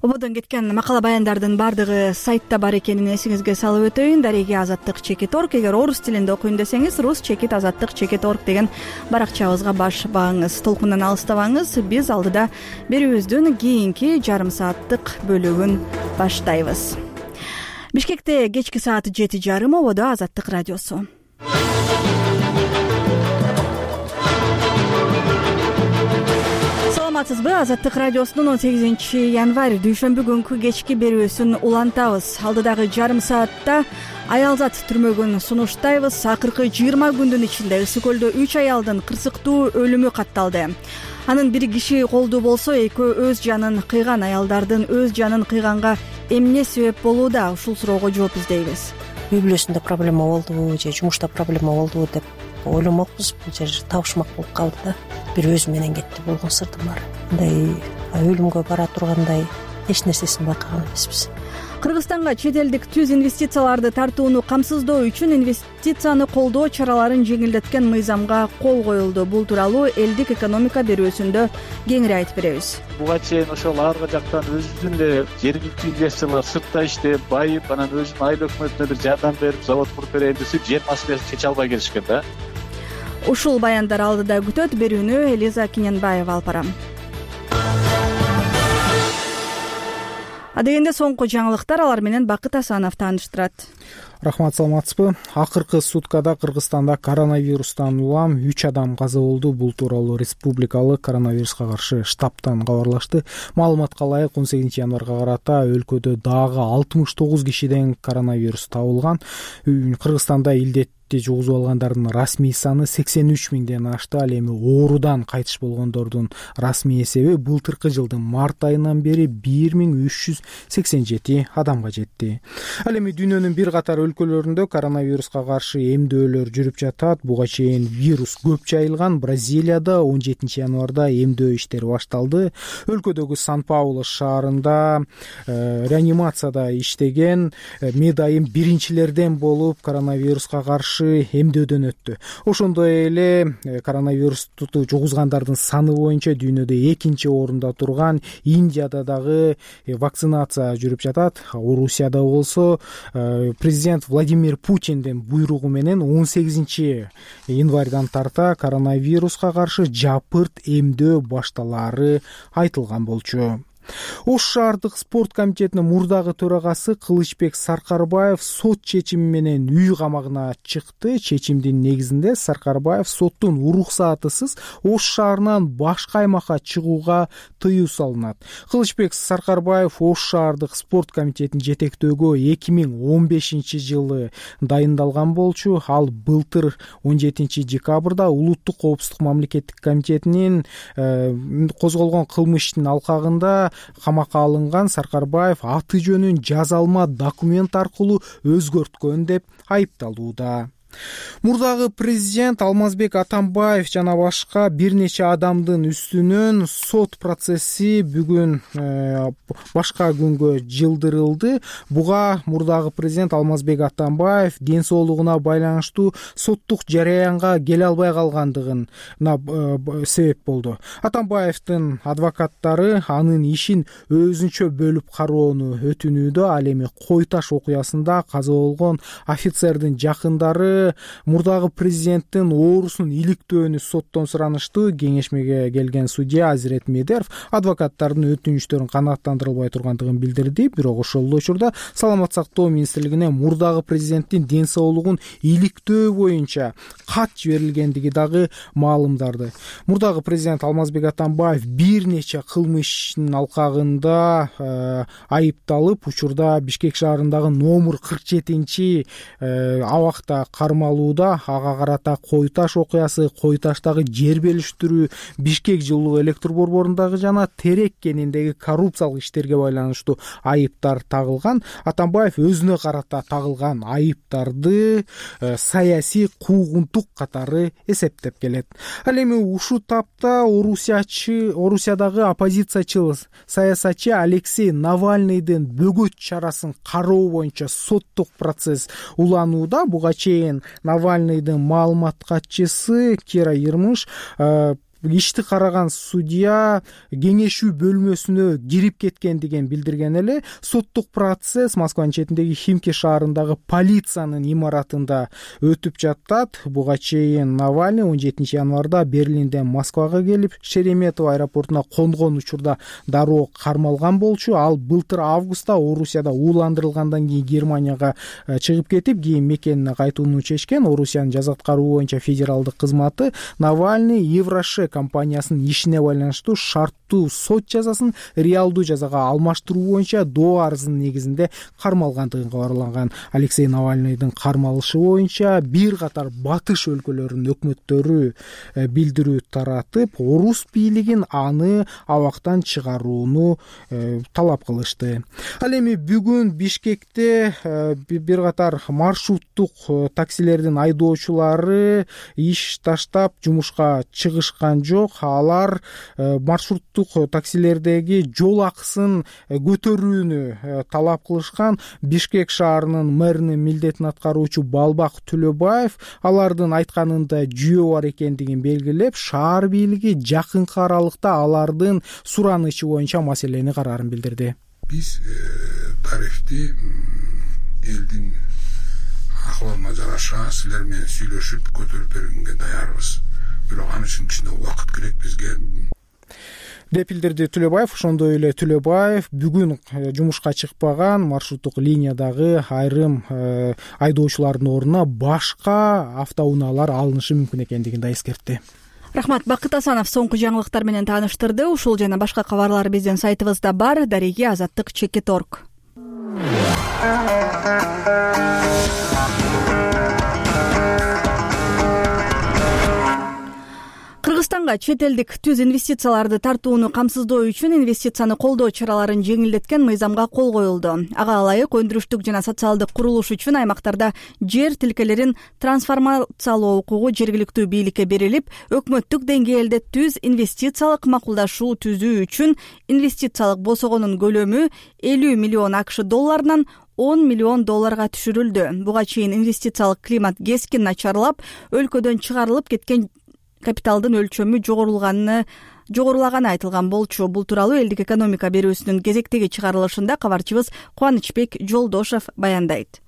Ободон кеткен макала баяндардын баардыгы сайтта бар экенин эсиңизге салып өтөйүн. Дареги Азаттык чекит орг. Эгер орус тилинде окуйм десеңиз, рус чекит азаттык чекит орг деген баракчабызга баш багыңыз. Толкундан алыстабаңыз. Биз алдыда берүүбүздүн кийинки жарым сааттык бөлүгүн баштайбыз. Бишкекте кечки саат жети жарым, ободо Азаттык радиосу. Саламатсызбы? Азаттык радиосунун он сегизинчи январь дүйшөмбү күнкү кечки берүүсүн улантабыз. Алдыдагы жарым саатта аялзат түрмөгүн сунуштайбыз. Акыркы жыйырма күндүн ичинде Ысык көлдө үч аялдын кырсыктуу өлүмү катталды. Анын бир киши колдуу болсо, экөө өз жанын кыйган. Аялдардын өз жанын кыйганга эмне себеп болууда? Ушул суроого жооп издейбиз. Үй бүлөсүндө проблема болдубу же жумушта проблема болдубу деп ойломокпуз. Бул жер табышмак болуп калды да. Бир өзү менен кетти болгон сырдым бар. Мындай өлүмгө бара тургандай эч нерсесин байкаган эмеспиз. Кыргызстанга чет элдик түз инвестицияларды тартууну камсыздоо үчүн инвестицияны колдоо чараларын жеңилдеткен мыйзамга кол коюлду. Бул тууралуу элдик экономика берүүсүндө кеңири айтып беребиз. Буга чейин ошол аркы жактан өзүнүн эле жергиликтүү инвесторлор сыртта иштеп, байып, анан өзүнүн айыл өкмөтүнө бир жардам берип, завод куруп берейин десип, жер маселесин чече албай келишкен да. Ушул баяндар алдыда күтөт. Берүүнү Элиза Киненбаева алып барам. Адегенде соңку жаңылыктар, алар менен Бакыт Асанов тааныштырат. Рахмат, саламатсызбы? Акыркы суткада Кыргызстанда коронавирустан улам үч адам каза болду. Бул тууралуу республикалык коронавируска каршы штабтан кабарлашты. Маалыматка ылайык он сегизинчи январга карата өлкөдө дагы алтымыш тогуз кишиден коронавирус табылган. Кыргызстанда илдетти жугузуп алгандардын расмий саны сексен үч миңден ашты. Ал эми оорудан кайтыш болгондордун расмий эсеби былтыркы жылдын март айынан бери бир миң үч жүз сексен жети адамга жетти. Ал эми дүйнөнүн бир катар өлкөлөрүндө коронавируска каршы эмдөөлөр жүрүп жатат. Буга чейин вирус көп жайылган Бразилияда он жетинчи январда эмдөө иштери башталды. Өлкөдөгү Сан-Паулу шаарында э, реанимацияда иштеген э, медайым биринчилерден болуп коронавируска каршы эмдөөдөн өттү. Ошондой эле коронавирусту жугузгандардын саны боюнча дүйнөдө экинчи орунда турган Индияда дагы вакцинация жүрүп жатат. Орусияда болсо президент Владимир Путиндин буйругу менен он сегизинчи январдан тарта коронавируска каршы жапырт эмдөө башталаары айтылган болчу. Ош шаардык спорт комитетинин мурдагы төрагасы Кылычбек Саркарбаев сот чечими менен үй камагына чыкты. Чечимдин негизинде Саркарбаев соттун уруксатысыз Ош шаарынан башка аймакка чыгууга тыюу салынат. Кылычбек Саркарбаев Ош шаардык спорт комитетин жетектөөгө эки миң он бешинчи жылы дайындалган болчу. Ал былтыр он жетинчи декабрда улуттук коопсуздук мамлекеттик комитетинин э, козголгон кылмыштын алкагында камакка алынган. Саркарбаев аты жөнүн жазалма документ аркылуу өзгөрткөн деп айыпталууда. Мурдагы президент Алмазбек Атамбаев жана башка бир нече адамдын үстүнөн сот процесси бүгүн э, башка күнгө жылдырылды. Буга мурдагы президент Алмазбек Атамбаев ден соолугуна байланыштуу соттук жараянга келе албай калгандыгына э, себеп болду. Атамбаевдин адвокаттары анын ишин өзүнчө бөлүп кароону өтүнүүдө. Ал эми Кой таш окуясында каза болгон офицердин жакындары дагы мурдагы президенттин оорусун иликтөөнү соттон суранышты. Кеңешмеге келген судья Азирет Медеров адвокаттардын өтүнүчтөрүн канааттандырылбай тургандыгын билдирди. Бирок ошол эле учурда саламат сактоо министрлигине мурдагы президенттин ден соолугун иликтөө боюнча кат жиберилгендиги дагы маалымдады. Мурдагы президент Алмазбек Атамбаев бир нече кылмыш ишинин алкагында э, айыпталып, учурда Бишкек шаарындагы номер кырк жетинчи э, абакта кармалууда. Ага карата Кой Таш окуясы, Кой Таштагы жер белиштирүү, Бишкек жылуу электр борборундагы жана Терек кениндеги коррупциялык иштерге байланыштуу айыптар тагылган. Атамбаев өзүнө карата тагылган айыптарды э, саясий куугунтук катары эсептеп келет. Ал эми ушул тапта Орусиячы, Орусиядагы оппозициячы саясатчы Алексей Навальныйдын бөгөт чарасын кароо боюнча соттук процесс уланууда. Буга чейин Навальныйдын маалымат катчысы Кира Ермыш э, ишти караган судья кеңешүү бөлмөсүнө кирип кеткендигин билдирген эле. Соттук процесс Москванын четиндеги Химки шаарындагы полициянын имаратында өтүп жатат. Буга чейин Навальный он жетинчи январда Берлинден Москвага келип, Шереметово аэропортуна конгон учурда дароо кармалган болчу. Ал былтыр августта Орусияда ууландырылгандан кийин Германияга чыгып кетип, кийин мекенине кайтууну чечкен. Орусиянын жаза аткаруу боюнча федералдык кызматы Навальный Еврошек компаниясынын ишине байланыштуу шарттуу сот жазасын реалдуу жазага алмаштыруу боюнча доо арызынын негизинде кармалгандыгын кабарланган. Алексей Навальныйдын кармалышы боюнча бир катар батыш өлкөлөрүнүн өкмөттөрү билдирүү таратып, орус бийлигин аны абактан чыгарууну талап кылышты. Ал эми бүгүн Бишкекте бир катар маршруттук таксилердин айдоочулары иш таштап жумушка чыгышкан жок. Алар маршруттук таксилердеги жол акысын көтөрүүнү талап кылышкан. Бишкек шаарынын мэринин милдетин аткаруучу Балбак Түлөбаев алардын айтканында жүйө бар экендигин белгилеп, шаар бийлиги жакынкы аралыкта алардын суранычы боюнча маселени караарын билдирди. Биз тарифти элдин акыбалына жараша силер менен сүйлөшүп көтөрүп бергенге даярбыз. Бирок аны үчүн кичине убакыт керек бизге, деп билдирди Түлөбаев. Ошондой эле Түлөбаев бүгүн жумушка чыкпаган маршруттук линиядагы айрым айдоочулардын ордуна башка автоунаалар алынышы мүмкүн экендигин да эскертти. Рахмат. Бакыт Асанов соңку жаңылыктар менен тааныштырды. Ушул жана башка кабарлар биздин сайтыбызда бар. Дареги азаттык чекит точка орг. Кыргызстанга чет элдик түз инвестицияларды тартууну камсыздоо үчүн инвестицияны колдоо чараларын жеңилдеткен мыйзамга кол коюлду. Ага ылайык өндүрүштүк жана социалдык курулуш үчүн аймактарда жер тилкелерин трансформациялоо укугу жергиликтүү бийликке берилип, өкмөттүк деңгээлде түз инвестициялык макулдашуу түзүү үчүн инвестициялык босогонун көлөмү элүү миллион акш долларынан он миллион долларга түшүрүлдү. Буга чейин инвестициялык климат кескин начарлап, өлкөдөн чыгарылып кеткен капиталдын өлчөмү жогорулаганы жогорулаганы айтылган болчу. Бул тууралуу элдик экономика берүүсүнүн кезектеги чыгарылышында кабарчыбыз Кубанычбек Жолдошов баяндайт.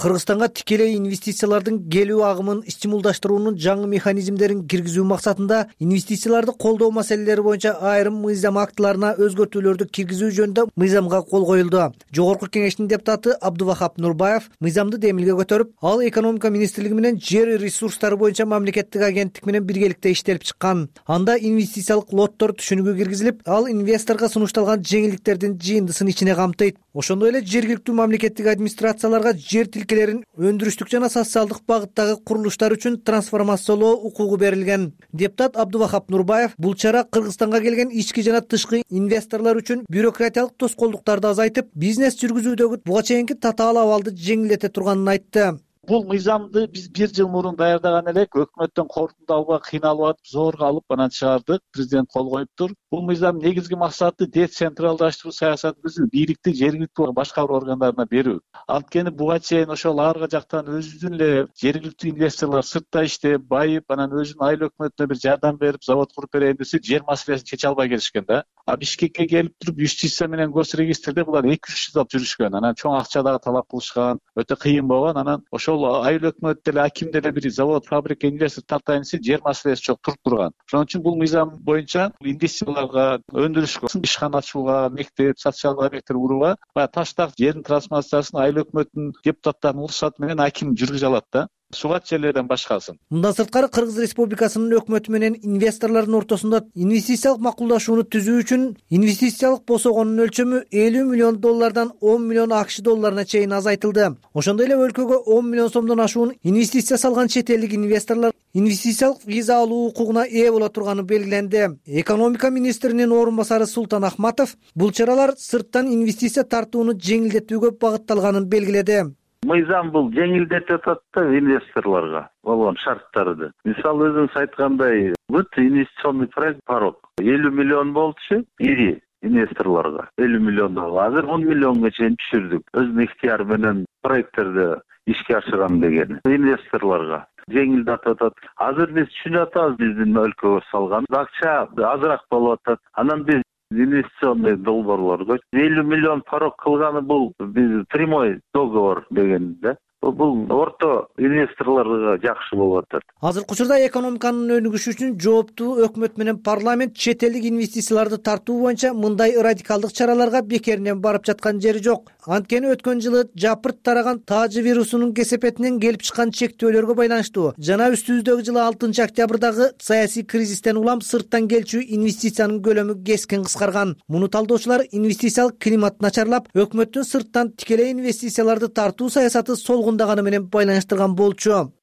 Кыргызстанга тикелей инвестициялардын келүү агымын стимулдаштыруунун жаңы механизмдерин киргизүү максатында инвестицияларды колдоо маселелери боюнча айрым мыйзам актыларына өзгөртүүлөрдү киргизүү жөнүндө мыйзамга кол коюлду. Жогорку кеңештин депутаты Абдувахап Нурбаев мыйзамды демилге көтөрүп, ал экономика министрлиги менен жер ресурстары боюнча мамлекеттик агенттик менен биргеликте иштелип чыккан. Анда инвестициялык лоттор түшүнүгү киргизилип, ал инвесторго сунушталган жеңилдиктердин жыйындысын ичине камтыйт. Ошондой эле жергиликтүү мамлекеттик администрацияларга жер тилкелерин өндүрүштүк жана социалдык багыттагы курулуштар үчүн трансформациялоо укугу берилген. Депутат Абдувахап Нурбаев бул чара Кыргызстанга келген ички жана тышкы инвесторлор үчүн бюрократиялык тоскоолдуктарды азайтып, бизнес жүргүзүүдөгү буга чейинки татаал абалды жеңилдете турганын айтты. Бул мыйзамды биз бир жыл мурун даярдаган элек, өкмөттөн корутунду албай кыйналып атып, зорго алып анан чыгардык. Президент кол коюптур. Бул мыйзам негизги максаты децентралдаштыруу саясатыбызды бийликти жергиликтүү башкаруу органдарына берүү. Анткени буга чейин ошол аркы жактан өзүнүн эле жергиликтүү инвесторлор сыртта иштеп, байып, анан өзүнүн айыл өкмөтүнө бир жардам берип, завод куруп берейин десе, жер маселесин чече албай келишкен да. А Бишкекке келип туруп юстиция менен госрегистрде булар эки үч жылдап жүрүшкөн. Анан чоң акча дагы талап кылышкан, өтө кыйын болгон. Анан ошол айыл өкмөт деле, аким деле бир завод, фабрика, инвестор тартайын десе, жер маселеси чок туруп турган. Ошон үчүн бул мыйзам боюнча инвестицияларга, өндүрүшкө, ишкана ачууга, мектеп, социалдык объекттер курууга баягы таштак жердин трансформациясын айыл өкмөтүнүн депутаттарынын уруксаты менен аким жүргүзө алат да. Сугат жерлерден башкасын. Мындан сырткары Кыргыз Республикасынын өкмөтү менен инвесторлордун ортосунда инвестициялык макулдашууну түзүү үчүн инвестициялык босогонун өлчөмү элүү миллион доллардан он миллион акш долларына чейин азайтылды. Ошондой эле өлкөгө он миллион сомдон ашуун инвестиция салган чет элдик инвесторлор инвестициялык виза алуу укугуна ээ боло турганы белгиленди. Экономика министринин орун басары Султан Ахматов бул чаралар сырттан инвестиция тартууну жеңилдетүүгө багытталганын белгиледи. Мыйзам бул жеңилдетип атат да инвесторлорго болгон шарттарды. Мисалы өзүңүз айткандай, бүт инвестиционный проект порог элүү миллион болчу, ири инвесторлорго элүү миллион доллар. Азыр он миллионго чейин түшүрдүк. Өзүнүн ыктыяры менен проекттерди ишке ашырган деген инвесторлорго жеңилдетип атат. Азыр биз түшүнүп атабыз, биздин өлкөгө салган акча азыраак болуп атат. Анан биз инвестиционный долбоорлорго элүү миллион порог кылганы бул биз прямой договор деген да. Бул орто инвесторлорго жакшы болуп атат. Азыркы учурда экономиканын өнүгүшү үчүн жооптуу өкмөт менен парламент чет элдик инвестицияларды тартуу боюнча мындай радикалдык чараларга бекеринен барып жаткан жери жок. Анткени өткөн жылы жапырт тараган таажы вирусунун кесепетинен келип чыккан чектөөлөргө байланыштуу жана үстүбүздөгү жылы алтынчы октябрдагы саясий кризистен улам сырттан келчү инвестициянын көлөмү кескин кыскарган. Муну талдоочулар инвестициялык климат начарлап, өкмөттүн сырттан тикелей инвестицияларды тартуу саясаты солгундаганы менен байланыштырган болчу.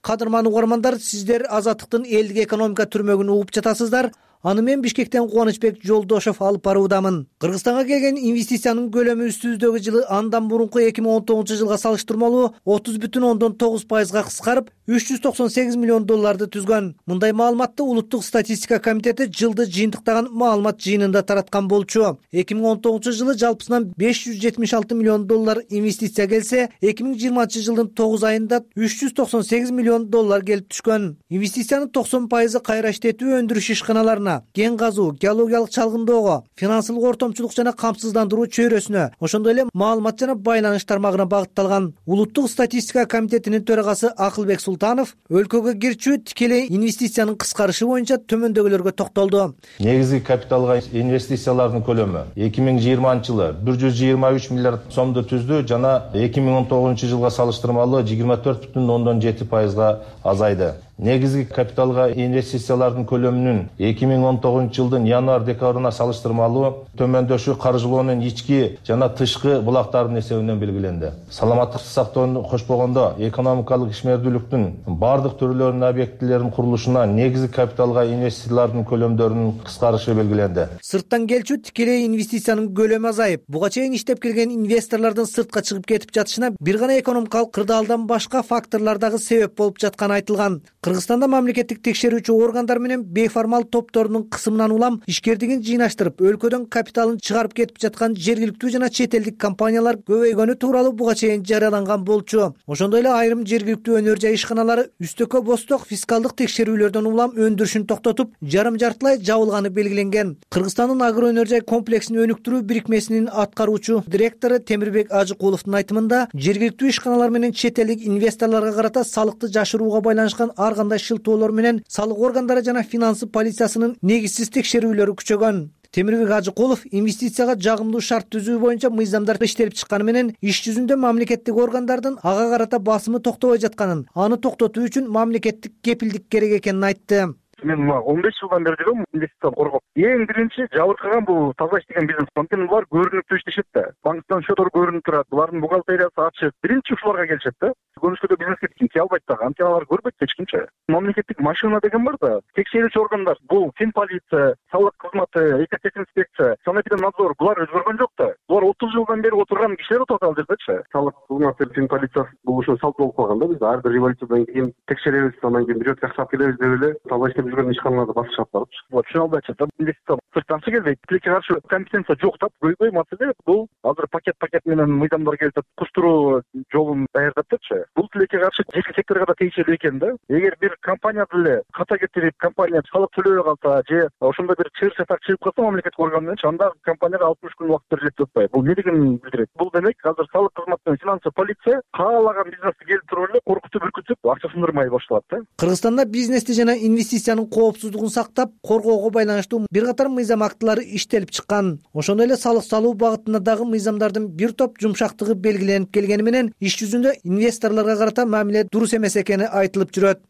Кадырман угармандар, сиздер Азаттыктын элдик экономика түрмөгүн угуп жатасыздар. Аны мен Бишкектен Кубанычбек Жолдошов алып баруудамын. Кыргызстанга келген инвестициянын көлөмү үстүбүздөгү жылы андан мурунку эки миң он тогузунчу жылга салыштырмалуу отуз бүтүн ондон тогуз пайызга кыскарып, үч жүз токсон сегиз миллион долларды түзгөн. Мындай маалыматты Улуттук статистика комитети жылды жыйынтыктаган маалымат жыйынында тараткан болчу. эки миң он тогузунчу жылы жалпысынан беш жүз жетимиш алты миллион доллар инвестиция келсе, эки миң жыйырманчы жылдын тогуз айында үч жүз токсон сегиз миллион доллар келип түшкөн. Инвестициянын токсон пайызы кайра иштетүү өндүрүш ишканаларына, кен казуу, геологиялык чалгындоого, финансылык ортомчулук жана камсыздандыруу чөйрөсүнө, ошондой эле маалымат жана байланыш тармагына багытталган. Улуттук статистика комитетинин төрагасы Акылбек Султанов өлкөгө кирчү тикелей инвестициянын кыскарышы боюнча төмөндөгүлөргө токтолду. Негизги капиталга инвестициялардын көлөмү эки миң жыйырманчы жылы бир жүз жыйырма үч миллиард сомду түздү жана эки миң он тогузунчу жылга салыштырмалуу жыйырма төрт бүтүн ондон жети пайызга азайды. Негизги капиталга инвестициялардын көлөмүнүн эки миң он тогузунчу жылдын январь-декабрына салыштырмалуу төмөндөшү каржылоонун ички жана тышкы булактардын эсебинен белгиленди. Саламаттыкты сактоону кошпогондо экономикалык ишмердүүлүктүн бардык түрлөрүнүн объектилеринин курулушуна негизги капиталга инвестициялардын көлөмдөрүнүн кыскарышы белгиленди. Сырттан келчү тикелей инвестициянын көлөмү азайып, буга чейин иштеп келген инвесторлордун сыртка чыгып кетип жатышына бир гана экономикалык кырдаалдан башка факторлор дагы себеп болуп жатканы айтылган. Кыргызстанда мамлекеттик текшерүүчү органдар менен бейформал топторунун кысымынан улам ишкердигин жыйнаштырып, өлкөдөн капиталын чыгарып кетип жаткан жергиликтүү жана чет элдик компаниялар көбөйгөнү тууралуу буга чейин жарыяланган болчу. Ошондой эле айрым жергиликтүү өнөр жай ишканалары үстөккө босток фискалдык текшерүүлөрдөн улам өндүрүшүн токтотуп, жарым жартылай жабылганы белгиленген. Кыргызстандын агро өнөр жай комплексин өнүктүрүү бирикмесинин аткаруучу директору Темирбек Ажыкуловдун айтымында, жергиликтүү ишканалар менен чет элдик инвесторлорго карата салыкты жашырууга байланышкан ар кандай шылтоолор менен салык органдары жана финансы полициясынын негизсиз текшерүүлөрү күчөгөн. Темирбек Ажыкулов инвестицияга жагымдуу шарт түзүү боюнча мыйзамдар иштелип чыкканы менен иш жүзүндө мамлекеттик органдардын ага карата басымы токтобой жатканын, аны токтотуу үчүн мамлекеттик кепилдик керек экенин айтты. мен мына он беш жылдан бери жүрөм инвестицияны коргоп. Эң биринчи жабыркаган бул тазалаш деген бизнес. Анткени булар көрүнүп иштешет да. Банктан счеттор көрүнүп турат. Булардын бухгалтериясы ачык. Биринчи ушуларга келишет да. Көрүнүшкө бизнеске кие албайт да. Анткени алар көрбөйт эч кимче. Мамлекеттик машина деген бар да. Текшерүүчү органдар бул финполиция, салык кызматы, экотехинспекция, санэпидемнадзор булар өзгөргөн жок да. Булар отуз жылдан бери отурган кишилер отурат ал жердечи. Салык кызматы, финполициясы бул ошо салт болуп калган да. Биз ар бир революциядан кийин текшеребиз, андан кийин бирөөт жакшап келебиз деп эле таза иштеп жүргөн ишканаларды басып чыгып барып. Булар түшүнө албайт да. Инвестиция сырттан келбейт. Тилекке каршы компетенция жок да. Көйгөй маселе бул азыр пакет-пакет менен мыйзамдар келип куштуруу жолун даярдапчы. Бул тилекке каршы жеке секторго да тийиштүү экен да. Эгер бир компания деле ката кетирип, компания салык төлөбөй калса же ошондой бир чыр чатак чыгып калса мамлекеттик орган менен анда компанияга алтымыш күн убакыт берилет деп атпайбы. Бул эмне дегенин билдирет? Бул демек азыр салык кызматы менен финансовый полиция каалаган бизнести келип туруп эле коркутуп үркүтүп акча сындырмай башталат да. Кыргызстанда бизнести жана инвестициянын коопсуздугун сактап коргоого байланыштуу бир катар мыйзам актылары иштелип чыккан. Ошондой эле салык салуу багытында дагы мыйзамдардын бир топ жумшактыгы белгиленип келгени менен иш жүзүндө инвесторлорго карата мамиле дурус эмес экени айтылып жүрөт.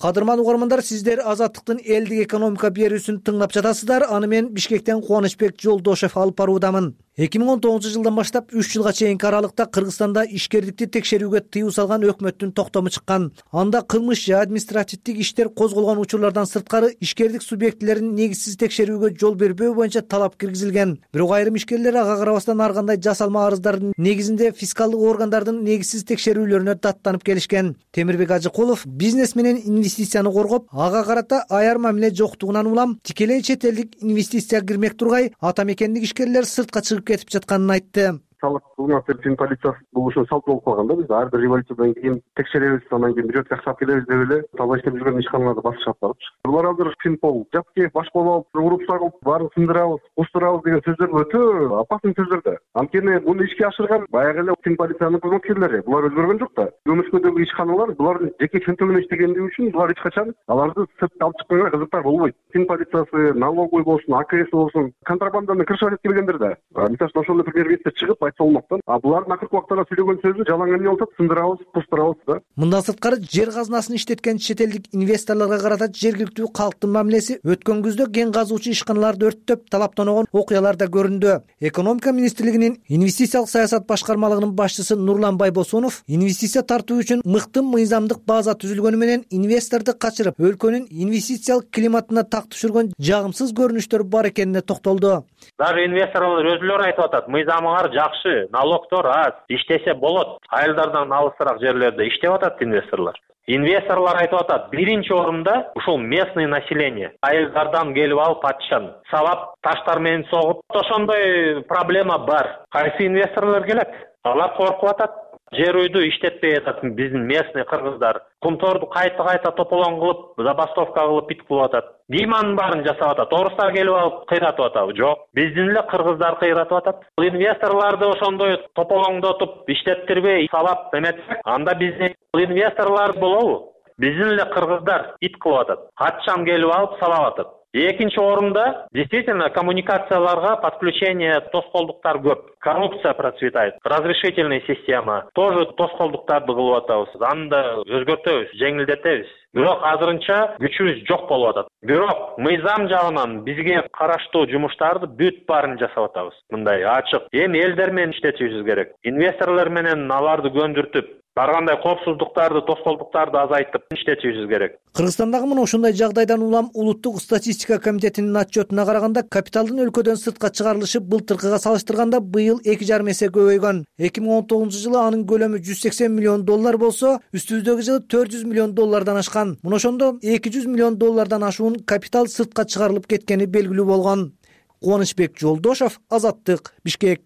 Кадырман угармандар, сиздер Азаттыктын элдик экономика берүүсүн тыңдап жатасыздар. Аны мен Бишкектен Кубанычбек Жолдошев алып баруудамын. эки миң он тогузунчу жылдан баштап үч жылга чейинки аралыкта Кыргызстанда ишкердикти текшерүүгө тыюу салган өкмөттүн токтому чыккан. Анда кылмыш же административдик иштер козголгон учурлардан сырткары ишкердик субъектилерин негизсиз текшерүүгө жол бербөө боюнча талап киргизилген. Бирок айрым ишкерлер ага карабастан ар кандай жасалма арыздардын негизинде фискалдык органдардын негизсиз текшерүүлөрүнө даттанып келишкен. Темирбек Ажыкулов бизнес менен инвестицияны коргоп, ага карата аяр мамиле жоктугунан улам тикелей чет элдик инвестиция кирмек тургай ата мекендик ишкерлер сыртка чыгып кетип жатканын айтты. Салык кызматы, финполициясы бул ошо салт болуп калган да. Биз ар бир революциядан кийин текшеребиз, андан кийин бирөөт жакшап келебиз деп эле таза иштеп жүргөн ишканаларды басып чыгып барыпчы. Булар азыр финпол, жапке баш болуп, уруп сагып, баарын сындырабыз, кустурабыз деген сөздөр өтө опасный сөздөр да. Анткени муну ишке ашырган баягы эле финполициянын кызматкерлери. Булар өзгөргөн жок да. Көмүшкөдөгү ишканалар булардын жеке чөнтөгүнө иштегендиги үчүн булар эч качан аларды сыртка алып чыкканга кызыктар болбойт. Финполициясы, налоговый болсун, АКС болсун, контрабанданы крышать этип келгендер да. Мисалы ошондой премьер-министр чыгып айтса болмоктон, а булардын акыркы убактарда сүйлөгөн сөзү жалаң эмне болуп атат, сындырабыз, кустурабыз да. Мындан сырткары жер казынасын иштеткен чет элдик инвесторлорго карата жергиликтүү калктын мамилеси өткөн күздө кен казуучу ишканаларды өрттөп талаптаногон окуялар да көрүндү. Экономика министрлигинин инвестициялык саясат башкармалыгынын башчысы Нурлан Байбосунов инвестиция тартуу үчүн мыкты мыйзамдык база түзүлгөнү менен инвесторду качырып, өлкөнүн инвестициялык климатына так түшүргөн жагымсыз көрүнүштөр бар экенине токтолду. Даже инвесторлор өзүлөрү айтып атат, мыйзамыңар жакшы, налогдор аз, иштесе болот. Айылдардан алысыраак жерлерде иштеп атат инвесторлор. Инвесторлор айтып атат, биринчи орунда ушул местный население. Айылдардан келип алып атышан, сабап таштар менен согуп, ошондой проблема бар. Кайсы инвесторлор келет? Алар коркуп атат. Жер үйдү иштетпей атат биздин местный кыргыздар. Кумторду кайта-кайта тополоң кылып, забастовка кылып бит кылып атат. Диманын баарын жасап атат. Орустар келип алып кыйратып атабы? Жок. Биздин эле кыргыздар кыйратып атат. Инвесторлорду ошондой тополоңдотуп, иштеттирбей, сабап эметсек, анда биздин инвесторлор болобу? Биздин эле кыргыздар ит кылып атат. Качан келип алып сабап атат. Экинчи орунда действительно коммуникацияларга подключение тоскоолдуктар көп. Коррупция процветает. Разрешительная система тоже тоскоолдуктарды кылып атабыз. Аны да өзгөртөбүз, жеңилдетебиз. Бирок азырынча күчүбүз жок болуп атат. Бирок мыйзам жагынан бизге караштуу жумуштарды бүт баарын жасап атабыз. Мындай ачык. Эми элдер менен иштетишибиз керек. Инвесторлор менен аларды көндүртүп, ар кандай коопсуздуктарды, тоскоолдуктарды азайтып иштетишибиз керек. Кыргызстандагы мына ушундай жагдайдан улам Улуттук статистика комитетинин отчетуна караганда капиталдын өлкөдөн сыртка чыгарылышы былтыркыга салыштырганда быйыл эки жарым эсе көбөйгөн. эки миң он тогузунчу жылы анын көлөмү жүз сексен миллион доллар болсо, үстүбүздөгү жылы төрт жүз миллион доллардан ашкан. Мына ошондо эки жүз миллион доллардан ашуун капитал сыртка чыгарылып кеткени белгилүү болгон. Кубанычбек Жолдошев, Азаттык, Бишкек.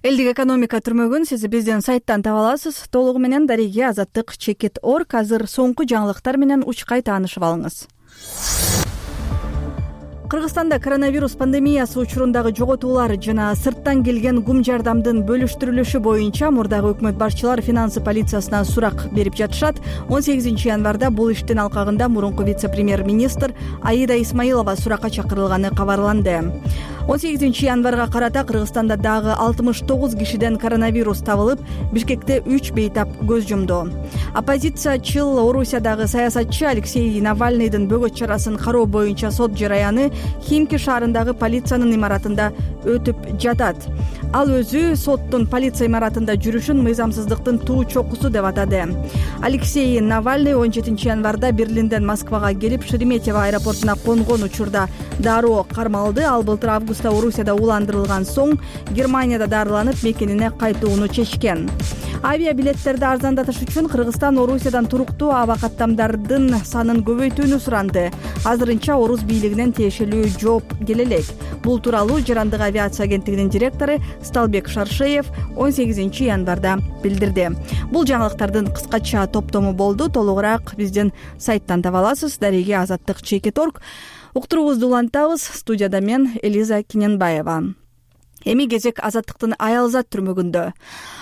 Элдик экономика түрмөгүн сиз биздин сайттан таба аласыз. Толугу менен дареги азаттык чекит орг. Азыр соңку жаңылыктар менен учкай таанышып алыңыз. Кыргызстанда коронавирус пандемиясы учурундагы жоготуулар жана сырттан келген гум жардамдын бөлүштүрүлүшү боюнча мурдагы өкмөт башчылар финансы полициясына сурак берип жатышат. он сегизинчи январда бул иштин алкагында мурунку вице-премьер-министр Аида Исмаилова суракка чакырылганы кабарланды. он сегизинчи январга карата Кыргызстанда дагы алтымыш тогуз кишиден коронавирус табылып, Бишкекте үч бейтап көз жумду. Оппозициячыл Орусиядагы саясатчы Алексей Навальныйдын бөгөт чарасын кароо боюнча сот жараяны Химки шаарындагы полициянын имаратында өтүп жатат. Ал өзү соттун полиция имаратында жүрүшүн мыйзамсыздыктын туу чокусу деп атады. Алексей Навальный он жетинчи январда Берлинден Москвага келип, Шереметьево аэропортуна конгон учурда дароо кармалды. Ал былтыр августта Орусияда ууландырылган соң Германияда дарыланып, мекенине кайтууну чечкен. Авиабилеттерди арзандатыш үчүн Кыргызстан Орусиядан туруктуу аба каттамдардын санын көбөйтүүнү суранды. Азырынча Орус бийлигинен тиешелүү жооп келе элек. Бул тууралуу Жарандык авиация агенттигинин директору Сталбек Шаршеев он сегизинчи январда билдирди. Бул жаңылыктардын кыскача топтому болду. Толугураак биздин сайттан таба аласыз. Дареги Азаттык Чекит точка орг. Уктуруубузду улантабыз. Студияда мен Элиза Киненбаева. Эми кезек Азаттыктын Аялзат түрмөгүндө.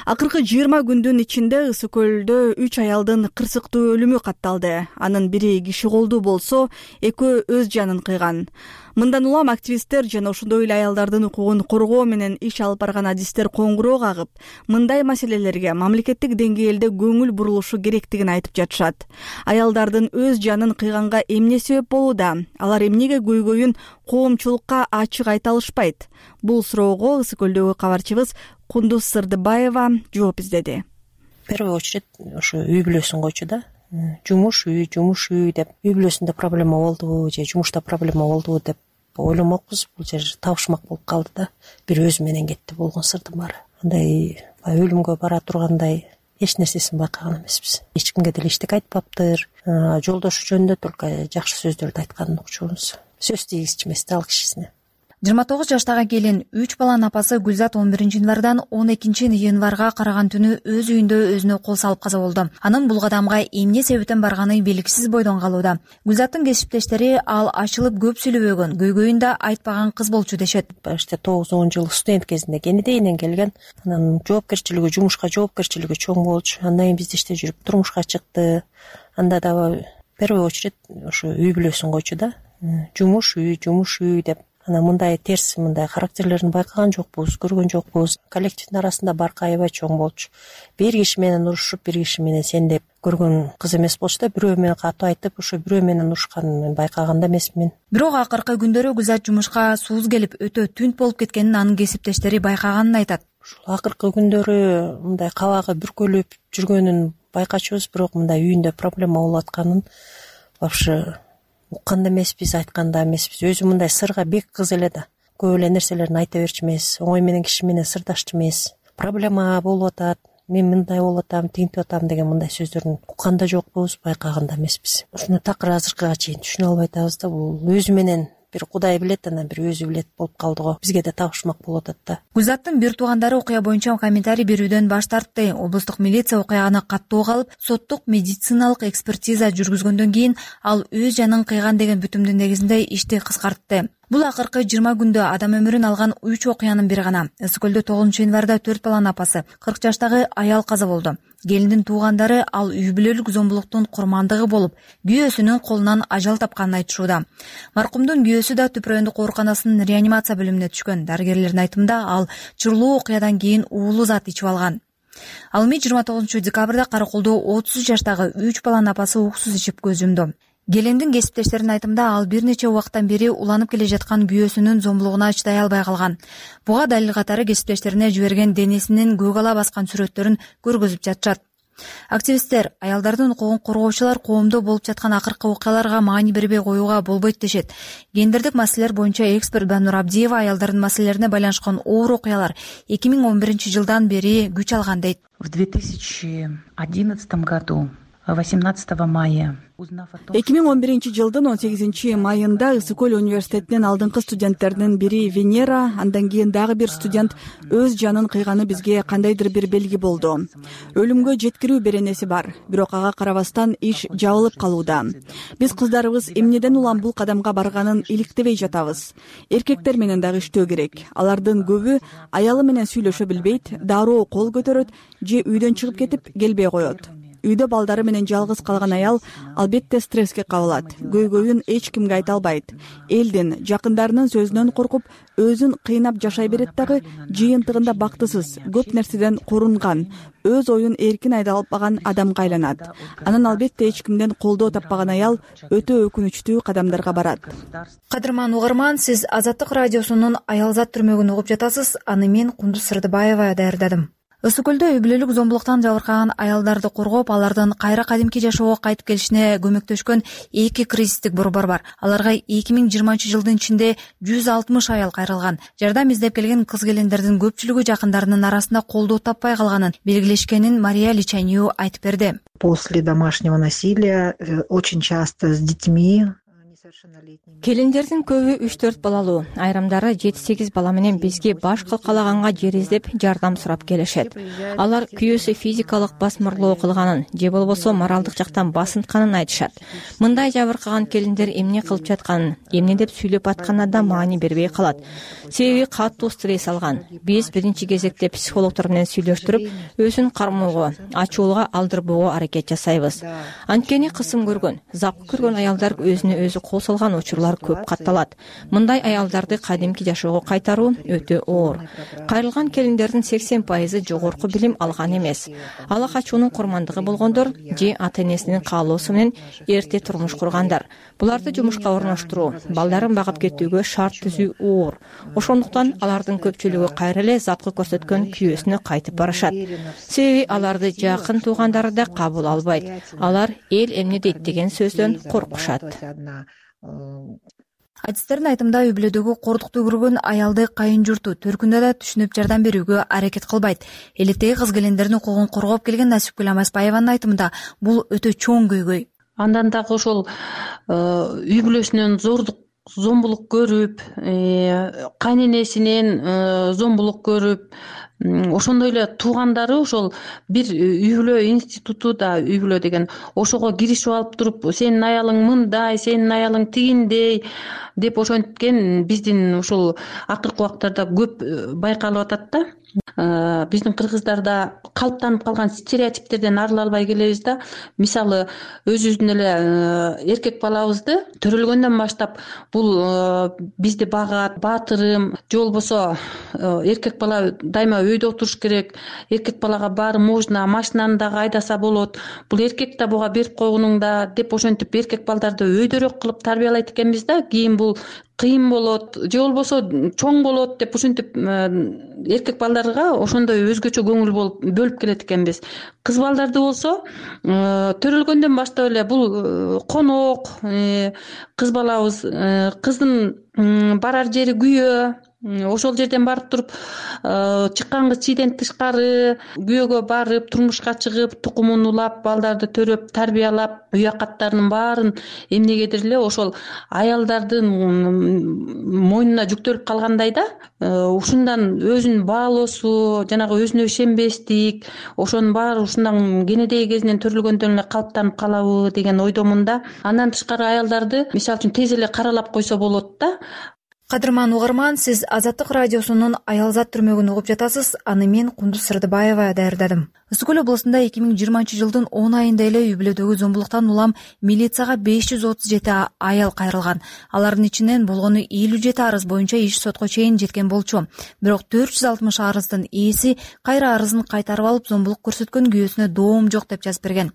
Акыркы жыйырма күндүн ичинде Ысык көлдө үч аялдын кырсыктуу өлүмү катталды. Анын бири киши колдуу болсо, экөө өз жанын кыйган. Мындан улам активисттер жана ошондой эле аялдардын укугун коргоо менен иш алып барган адистер коңгуроо кагып, мындай маселелерге мамлекеттик деңгээлде көңүл бурулушу керектигин айтып жатышат. Аялдардын өз жанын кыйганга эмне себеп болууда? Алар эмнеге көйгөйүн коомчулукка ачык айта алышпайт? Бул суроого Ысык көлдөгү кабарчыбыз Кундуз Сырдыбаева жооп издеди. В первую очередь ошо үй бүлөсүн койчу да. Жумуш үй, жумуш үй деп, үй бүлөсүндө проблема болдубу же жумушта проблема болдубу деп ойломокпуз. Бул жер табышмак болуп калды да. Бир өзү менен кетти болгон сырдын баары. Андай өлүмгө бара тургандай эч нерсесин байкаган эмеспиз. Эч кимге деле эчтеке айтпаптыр. Жолдошу жөнүндө только жакшы сөздөрдү айтканын укчубуз. Сөз тийгизчү эмес да ал кишисине. жыйырма тогуз жаштагы келин үч баланын апасы Гүлзат он биринчи январдан он экинчи январга караган түнү өз үйүндө өзүнө кол салып каза болду. Анын бул кадамга эмне себептен барганы белгисиз бойдон калууда. Гүлзаттын кесиптештери ал ачылып көп сүйлөбөгөн, көйгөйүн да айтпаган кыз болчу дешет. Башта тогуз он жыл студент кезинде Кенедейден келген. Анан жоопкерчилиги, жумушка жоопкерчилиги чоң болчу. Андан кийин бизде иште жүрүп турмушка чыкты. Анда дагы в первую очередь ошо үй бүлөсүн койчу да. Жумуш үй, жумуш үй деп. Анан мындай терс, мындай характерлерин байкаган жокпуз, көргөн жокпуз. Коллективдин арасында баркы аябай чоң болчу. Бир киши менен урушуп, бир киши менен сендеп көргөн кыз эмес болчу да. Бирөө менен катуу айтып, ошо бирөө менен урушканын мен байкаган да эмесмин. Бирок акыркы күндөрү Гүлзат жумушка сууз келип, өтө түнт болуп кеткенин анын кесиптештери байкаганын айтат. Ушул акыркы күндөрү мындай кабагы бүркөлүп жүргөнүн байкачубуз, бирок мындай үйүндө проблема болуп атканын вообще уккан да эмеспиз, айткан да эмеспиз. Өзү мындай сырга бек кыз эле да. Көп эле нерселерин айта берчү эмес, оңой менен киши менен сырдашчу эмес. Проблема болуп атат, мен мындай болуп атам, тинтип атам деген мындай сөздөрүн уккан да жокпуз, байкаган да эмеспиз. Ушуну такыр азыркыга чейин түшүнө албай атабыз да. Бул өзү менен бир Кудай билет, анан бир өзү билет болуп калды го. Бизге да табышмак болуп атат да. Гүлзаттын бир туугандары окуя боюнча комментарий берүүдөн баш тартты. Облустук милиция окуяны каттуу калып, соттук медициналык экспертиза жүргүзгөндөн кийин ал өз жанын кыйган деген бүтүмдүн негизинде ишти кыскартты. Бул акыркы жыйырма күндө адам өмүрүн алган үч окуянын бири гана. Ысык көлдө тогузунчу январда төрт баланын апасы кырк жаштагы аял каза болду. Келиндин туугандары ал үй бүлөлүк зомбулуктун курмандыгы болуп, күйөөсүнүн колунан ажал тапканын айтышууда. Маркумдун күйөөсү да Түп райондук ооруканасынын реанимация бөлүмүнө түшкөн. Дарыгерлердин айтымында ал чырлуу окуядан кийин уулуу зат ичип алган. Ал эми жыйырма тогузунчу декабрда Караколдо отуз жаштагы үч баланын апасы уксуз ичип көз жумду. Келиндин кесиптештеринин айтымында ал бир нече убакыттан бери уланып келе жаткан күйөөсүнүн зомбулугуна чыдай албай калган. Буга далил катары кесиптештерине жиберген денесинин көк ала баскан сүрөттөрүн көргөзүп жатышат. Активисттер аялдардын укугун коргоочулар коомдо болуп жаткан акыркы окуяларга маани бербей коюуга болбойт дешет. Гендердик маселелер боюнча эксперт Банур Абдиева аялдардын маселелерине байланышкан оор окуялар эки миң он биринчи жылдан бери күч алган дейт. В две тысячи одиннадцатом году восемнадцатого мая. эки миң он биринчи жылдын он сегизинчи майында Ысык көл университетинин алдыңкы студенттеринин бири Венера, андан кийин дагы бир студент өз жанын кыйганы бизге кандайдыр бир белги болду. Өлүмгө жеткирүү беренеси бар, бирок ага карабастан иш жабылып калууда. Биз кыздарыбыз эмнеден улам бул кадамга барганын иликтебей жатабыз. Эркектер менен дагы иштөө керек. Алардын көбү аялы менен сүйлөшө билбейт, дароо кол көтөрөт же үйдөн чыгып кетип келбей коет. Үйдө балдары менен жалгыз калган аял албетте стресске кабылат. Көйгөйүн эч кимге айта албайт. Элдин, жакындарынын сөзүнөн коркуп, өзүн кыйнап жашай берет дагы, жыйынтыгында бактысыз, көп нерседен корунган, өз оюн эркин айта албаган адамга айланат. Анан албетте эч кимден колдоо таппаган аял өтө өкүнүчтүү кадамдарга барат. Кадырман угарман, сиз Азаттык радиосунун Аялзат түрмөгүн угуп жатасыз. Аны мен Кундуз Сырдыбаева даярдадым. Ысык көлдө үй бүлөлүк зомбулуктан жабыркаган аялдарды коргоп, алардын кайра кадимки жашоого кайтып келишине көмөктөшкөн эки кризистик борбор бар. Аларга эки миң жыйырманчы жылдын ичинде жүз алтымыш аял кайрылган. Жардам издеп келген кыз-келиндердин көпчүлүгү жакындарынын арасында колдоо таппай калганын белгилешкенин Мария Личанью айтып берди. После домашнего насилия очень часто с детьми. Келиндердин көбү үч төрт балалуу, айрымдары жети сегиз бала менен бизге баш калкалаганга жер издеп жардам сурап келишет. Алар күйөөсү физикалык басмырлоо кылганын же болбосо моралдык жактан басынтканын айтышат. Мындай жабыркаган келиндер эмне кылып жатканын, эмне деп сүйлөп атканына да маани бербей калат. Себеби катуу стресс алган. Биз биринчи кезекте психологдор менен сүйлөштүрүп, өзүн кармоого, ачуулга алдырбоого аракет жасайбыз. Анткени кысым көргөн, запкы көргөн аялдар өзүнө өзү кол салган учурлар көп катталат. Мындай аялдарды кадимки жашоого кайтаруу өтө оор. Кайрылган келиндердин сексен пайызы жогорку билим алган эмес. Ала качуунун курмандыгы болгондор же ата-энесинин каалоосу менен эрте турмуш кургандар. Буларды жумушка орноштуруу, балдарын багып кетүүгө шарт түзүү оор. Ошондуктан алардын көпчүлүгү кайра эле запкы көрсөткөн күйөөсүнө кайтып барышат. Себеби аларды жакын туугандары да кабыл албайт. Алар эл эмне дейт деген сөздөн коркушат. Адистердин айтымында үй бүлөдөгү кордукту көргөн аялды кайын журту төркүндө да түшүнүп жардам берүүгө аракет кылбайт. Элетеги кыз-келиндердин укугун коргоп келген Насипкүл Амасбаеванын айтымында бул өтө чоң көйгөй. Андан дагы ошол үй бүлөсүнөн зордук зомбулук көрүп, кайненесинен зомбулук көрүп, ошондой эле туугандары ошол бир үй бүлө институту да үй бүлө деген ошого киришип алып туруп, сенин аялың мындай, сенин аялың тигиндей деп ошенткен биздин ушул акыркы убактарда көп байкалып атат да. Биздин кыргыздарда калыптанып калган стереотиптерден арыла албай келебиз да. Мисалы, өзүбүздүн эле эркек балабызды төрөлгөндөн баштап бул бизди багат, баатырым, же болбосо эркек бала дайыма өйдө отуруш керек, эркек балага баары можно, машинаны дагы айдаса болот, бул эркек да буга берип койгонуң да деп ошентип эркек балдарды өйдөрөөк кылып тарбиялайт экенбиз да. Кийин бул кыйын болот, же болбосо чоң болот деп ошентип эркек балдарга ошондой өзгөчө көңүл болуп бөлүп келет экенбиз. Кыз балдарды болсо төрөлгөндөн баштап эле бул конок, кыз балабыз, кыздын барар жери күйөө, ошол жерден барып туруп чыккан кыз чийден тышкары күйөөгө барып, турмушка чыгып, тукумун улап, балдарды төрөп, тарбиялап, үй акаттарынын баарын эмнегедир эле ошол аялдардын мойнуна жүктөлүп калгандай да. Ушундан өзүн баалоосу, жанагы өзүнө ишенбестик, ошонун баары ушундан кенедеги кезинен төрөлгөндөн эле калыптанып калабы деген ойдомун да. Андан тышкары аялдарды мисалы үчүн тез эле каралап койсо болот да. Кадырман угарман, сиз Азаттык радиосунун Аялзат түрмөгүн угуп жатасыз. Аны мен Кундуз Сырдыбаева даярдадым. Ысык көл облусунда эки миң жыйырманчы жылдын он айында эле үй бүлөдөгү зомбулуктан улам милицияга беш жүз отуз жети аял кайрылган. Алардын ичинен болгону элүү жети арыз боюнча иш сотко чейин жеткен болчу. Бирок төрт жүз алтымыш арыздын ээси кайра арызын кайтарып алып, зомбулук көрсөткөн күйөөсүнө доом жок деп жазып берген.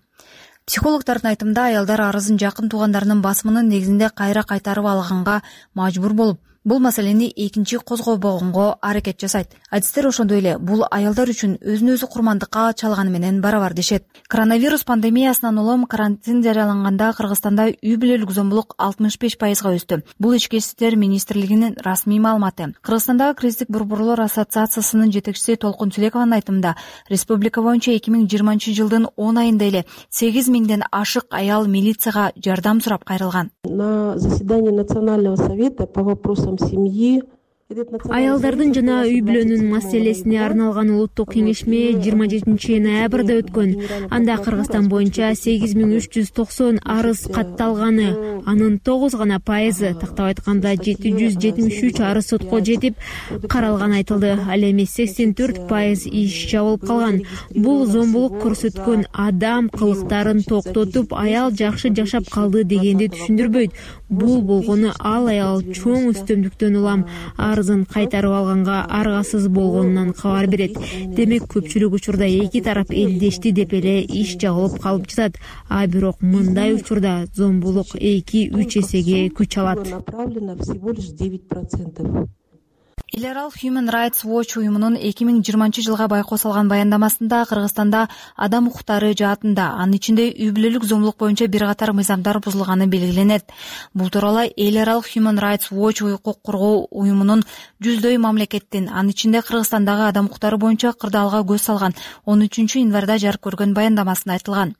Психологдордун айтымында аялдар арызын жакын туугандарынын басымынын негизинде кайра кайтарып алганга мажбур болуп, бул маселени экинчи козгобогонго аракет жасайт. Адистер ошондой эле бул аялдар үчүн өзүн өзү курмандыкка чалганы менен барабар дешет. Коронавирус пандемиясынан улам карантин жарыяланганда Кыргызстанда үй бүлөлүк зомбулук алтымыш беш пайызга өстү. Бул ички иштер министрлигинин расмий маалыматы. Кыргызстандагы кризистик борборлор ассоциациясынын жетекчиси Толкун Тилекованын айтымында, республика боюнча эки миң жыйырманчы жылдын он айында эле сегиз миңден ашык аял милицияга жардам сурап кайрылган. На заседании Национального совета по вопросам семьи аялдардын жана үй бүлөнүн маселесине арналган улуттук кеңешме жыйырма жетинчи ноябрда өткөн. Анда Кыргызстан боюнча сегиз миң үч жүз токсон арыз катталганы, анын тогуз гана пайызы, тактап айтканда жети жүз жетимиш үч арыз сотко жетип каралганы айтылды. Ал эми сексен төрт пайыз иш жабылып калган. Бул зомбулук көрсөткөн адам кылыктарын токтотуп, аял жакшы жашап калды дегенди түшүндүрбөйт. Бул болгону ал аял чоң үстөмдүктөн улам арызын кайтарып алганга аргасыз болгонунан кабар берет. Демек көпчүлүк учурда эки тарап элдешти деп эле иш жабылып калып жатат. А бирок мындай учурда зомбулук эки үч эсеге күч алат. Эл аралык Human Rights Watch уюмунун эки миң жыйырманчы жылга байкоо салган баяндамасында Кыргызстанда адам укуктары жаатында, анын ичинде үй бүлөлүк зомбулук боюнча бир катар мыйзамдар бузулганы белгиленет. Бул тууралуу эл аралык Human Rights Watch укук коргоо уюмунун жүздөй мамлекеттин, анын ичинде Кыргызстандагы адам укуктары боюнча кырдаалга көз салган он үчүнчү январда жарык көргөн баяндамасында айтылган.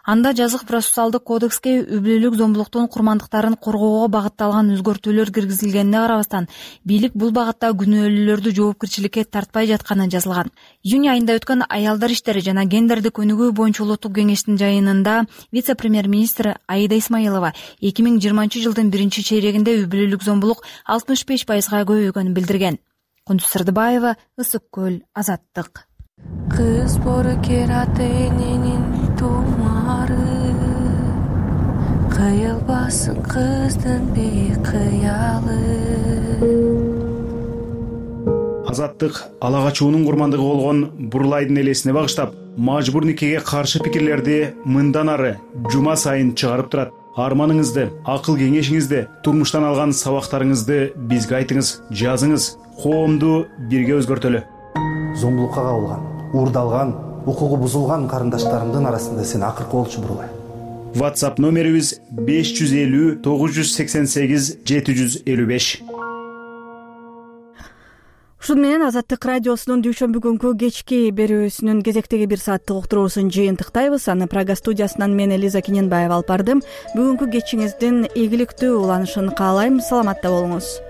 Анда жазык процессуалдык кодекске үй бүлөлүк зомбулуктун курмандыктарын коргоого багытталган өзгөртүүлөр киргизилгенине карабастан, бийлик бул багытта күнөөлүүлөрдү жоопкерчиликке тартпай жатканы жазылган. Июнь айында өткөн аялдар иштери жана гендердик өнүгүү боюнча улуттук кеңештин жыйынында вице-премьер-министр Аида Исмаилова эки миң жыйырманчы жылдын биринчи чейрегинде үй бүлөлүк зомбулук алтымыш беш пайызга көбөйгөнүн билдирген. Кундуз Сырдыбаева, Ысык көл, Азаттык. Кыз бору кераты эненин тумары, кыйылбасын кыздын бейкыялы. Азаттык ала качуунун курмандыгы болгон Бурлайдын элесине багыштап, мажбур никеге каршы пикирлерди мындан ары жума сайын чыгарып турат. Арманыңызды, акыл кеңешиңизди, турмуштан алган сабактарыңызды бизге айтыңыз, жазыңыз. Коомду бирге өзгөртөлү. Зомбулукка кабылган, уурдалган, укугу бузулган карындаштарымдын арасында сен акыркы болчу Бурлай. WhatsApp номерибиз беш жүз элүү тогуз жүз сексен сегиз жети жүз элүү беш. Ушун менен Азаттык радиосунун дүйшөмбү күнкү кечки берүүсүнүн кезектеги бир сааттык уктуруусун жыйынтыктайбыз. Аны Прага студиясынан мен Элиза Кененбаева алып бардым. Бүгүнкү кечиңиздин ийгиликтүү уланышын каалайм. Саламатта болуңуз.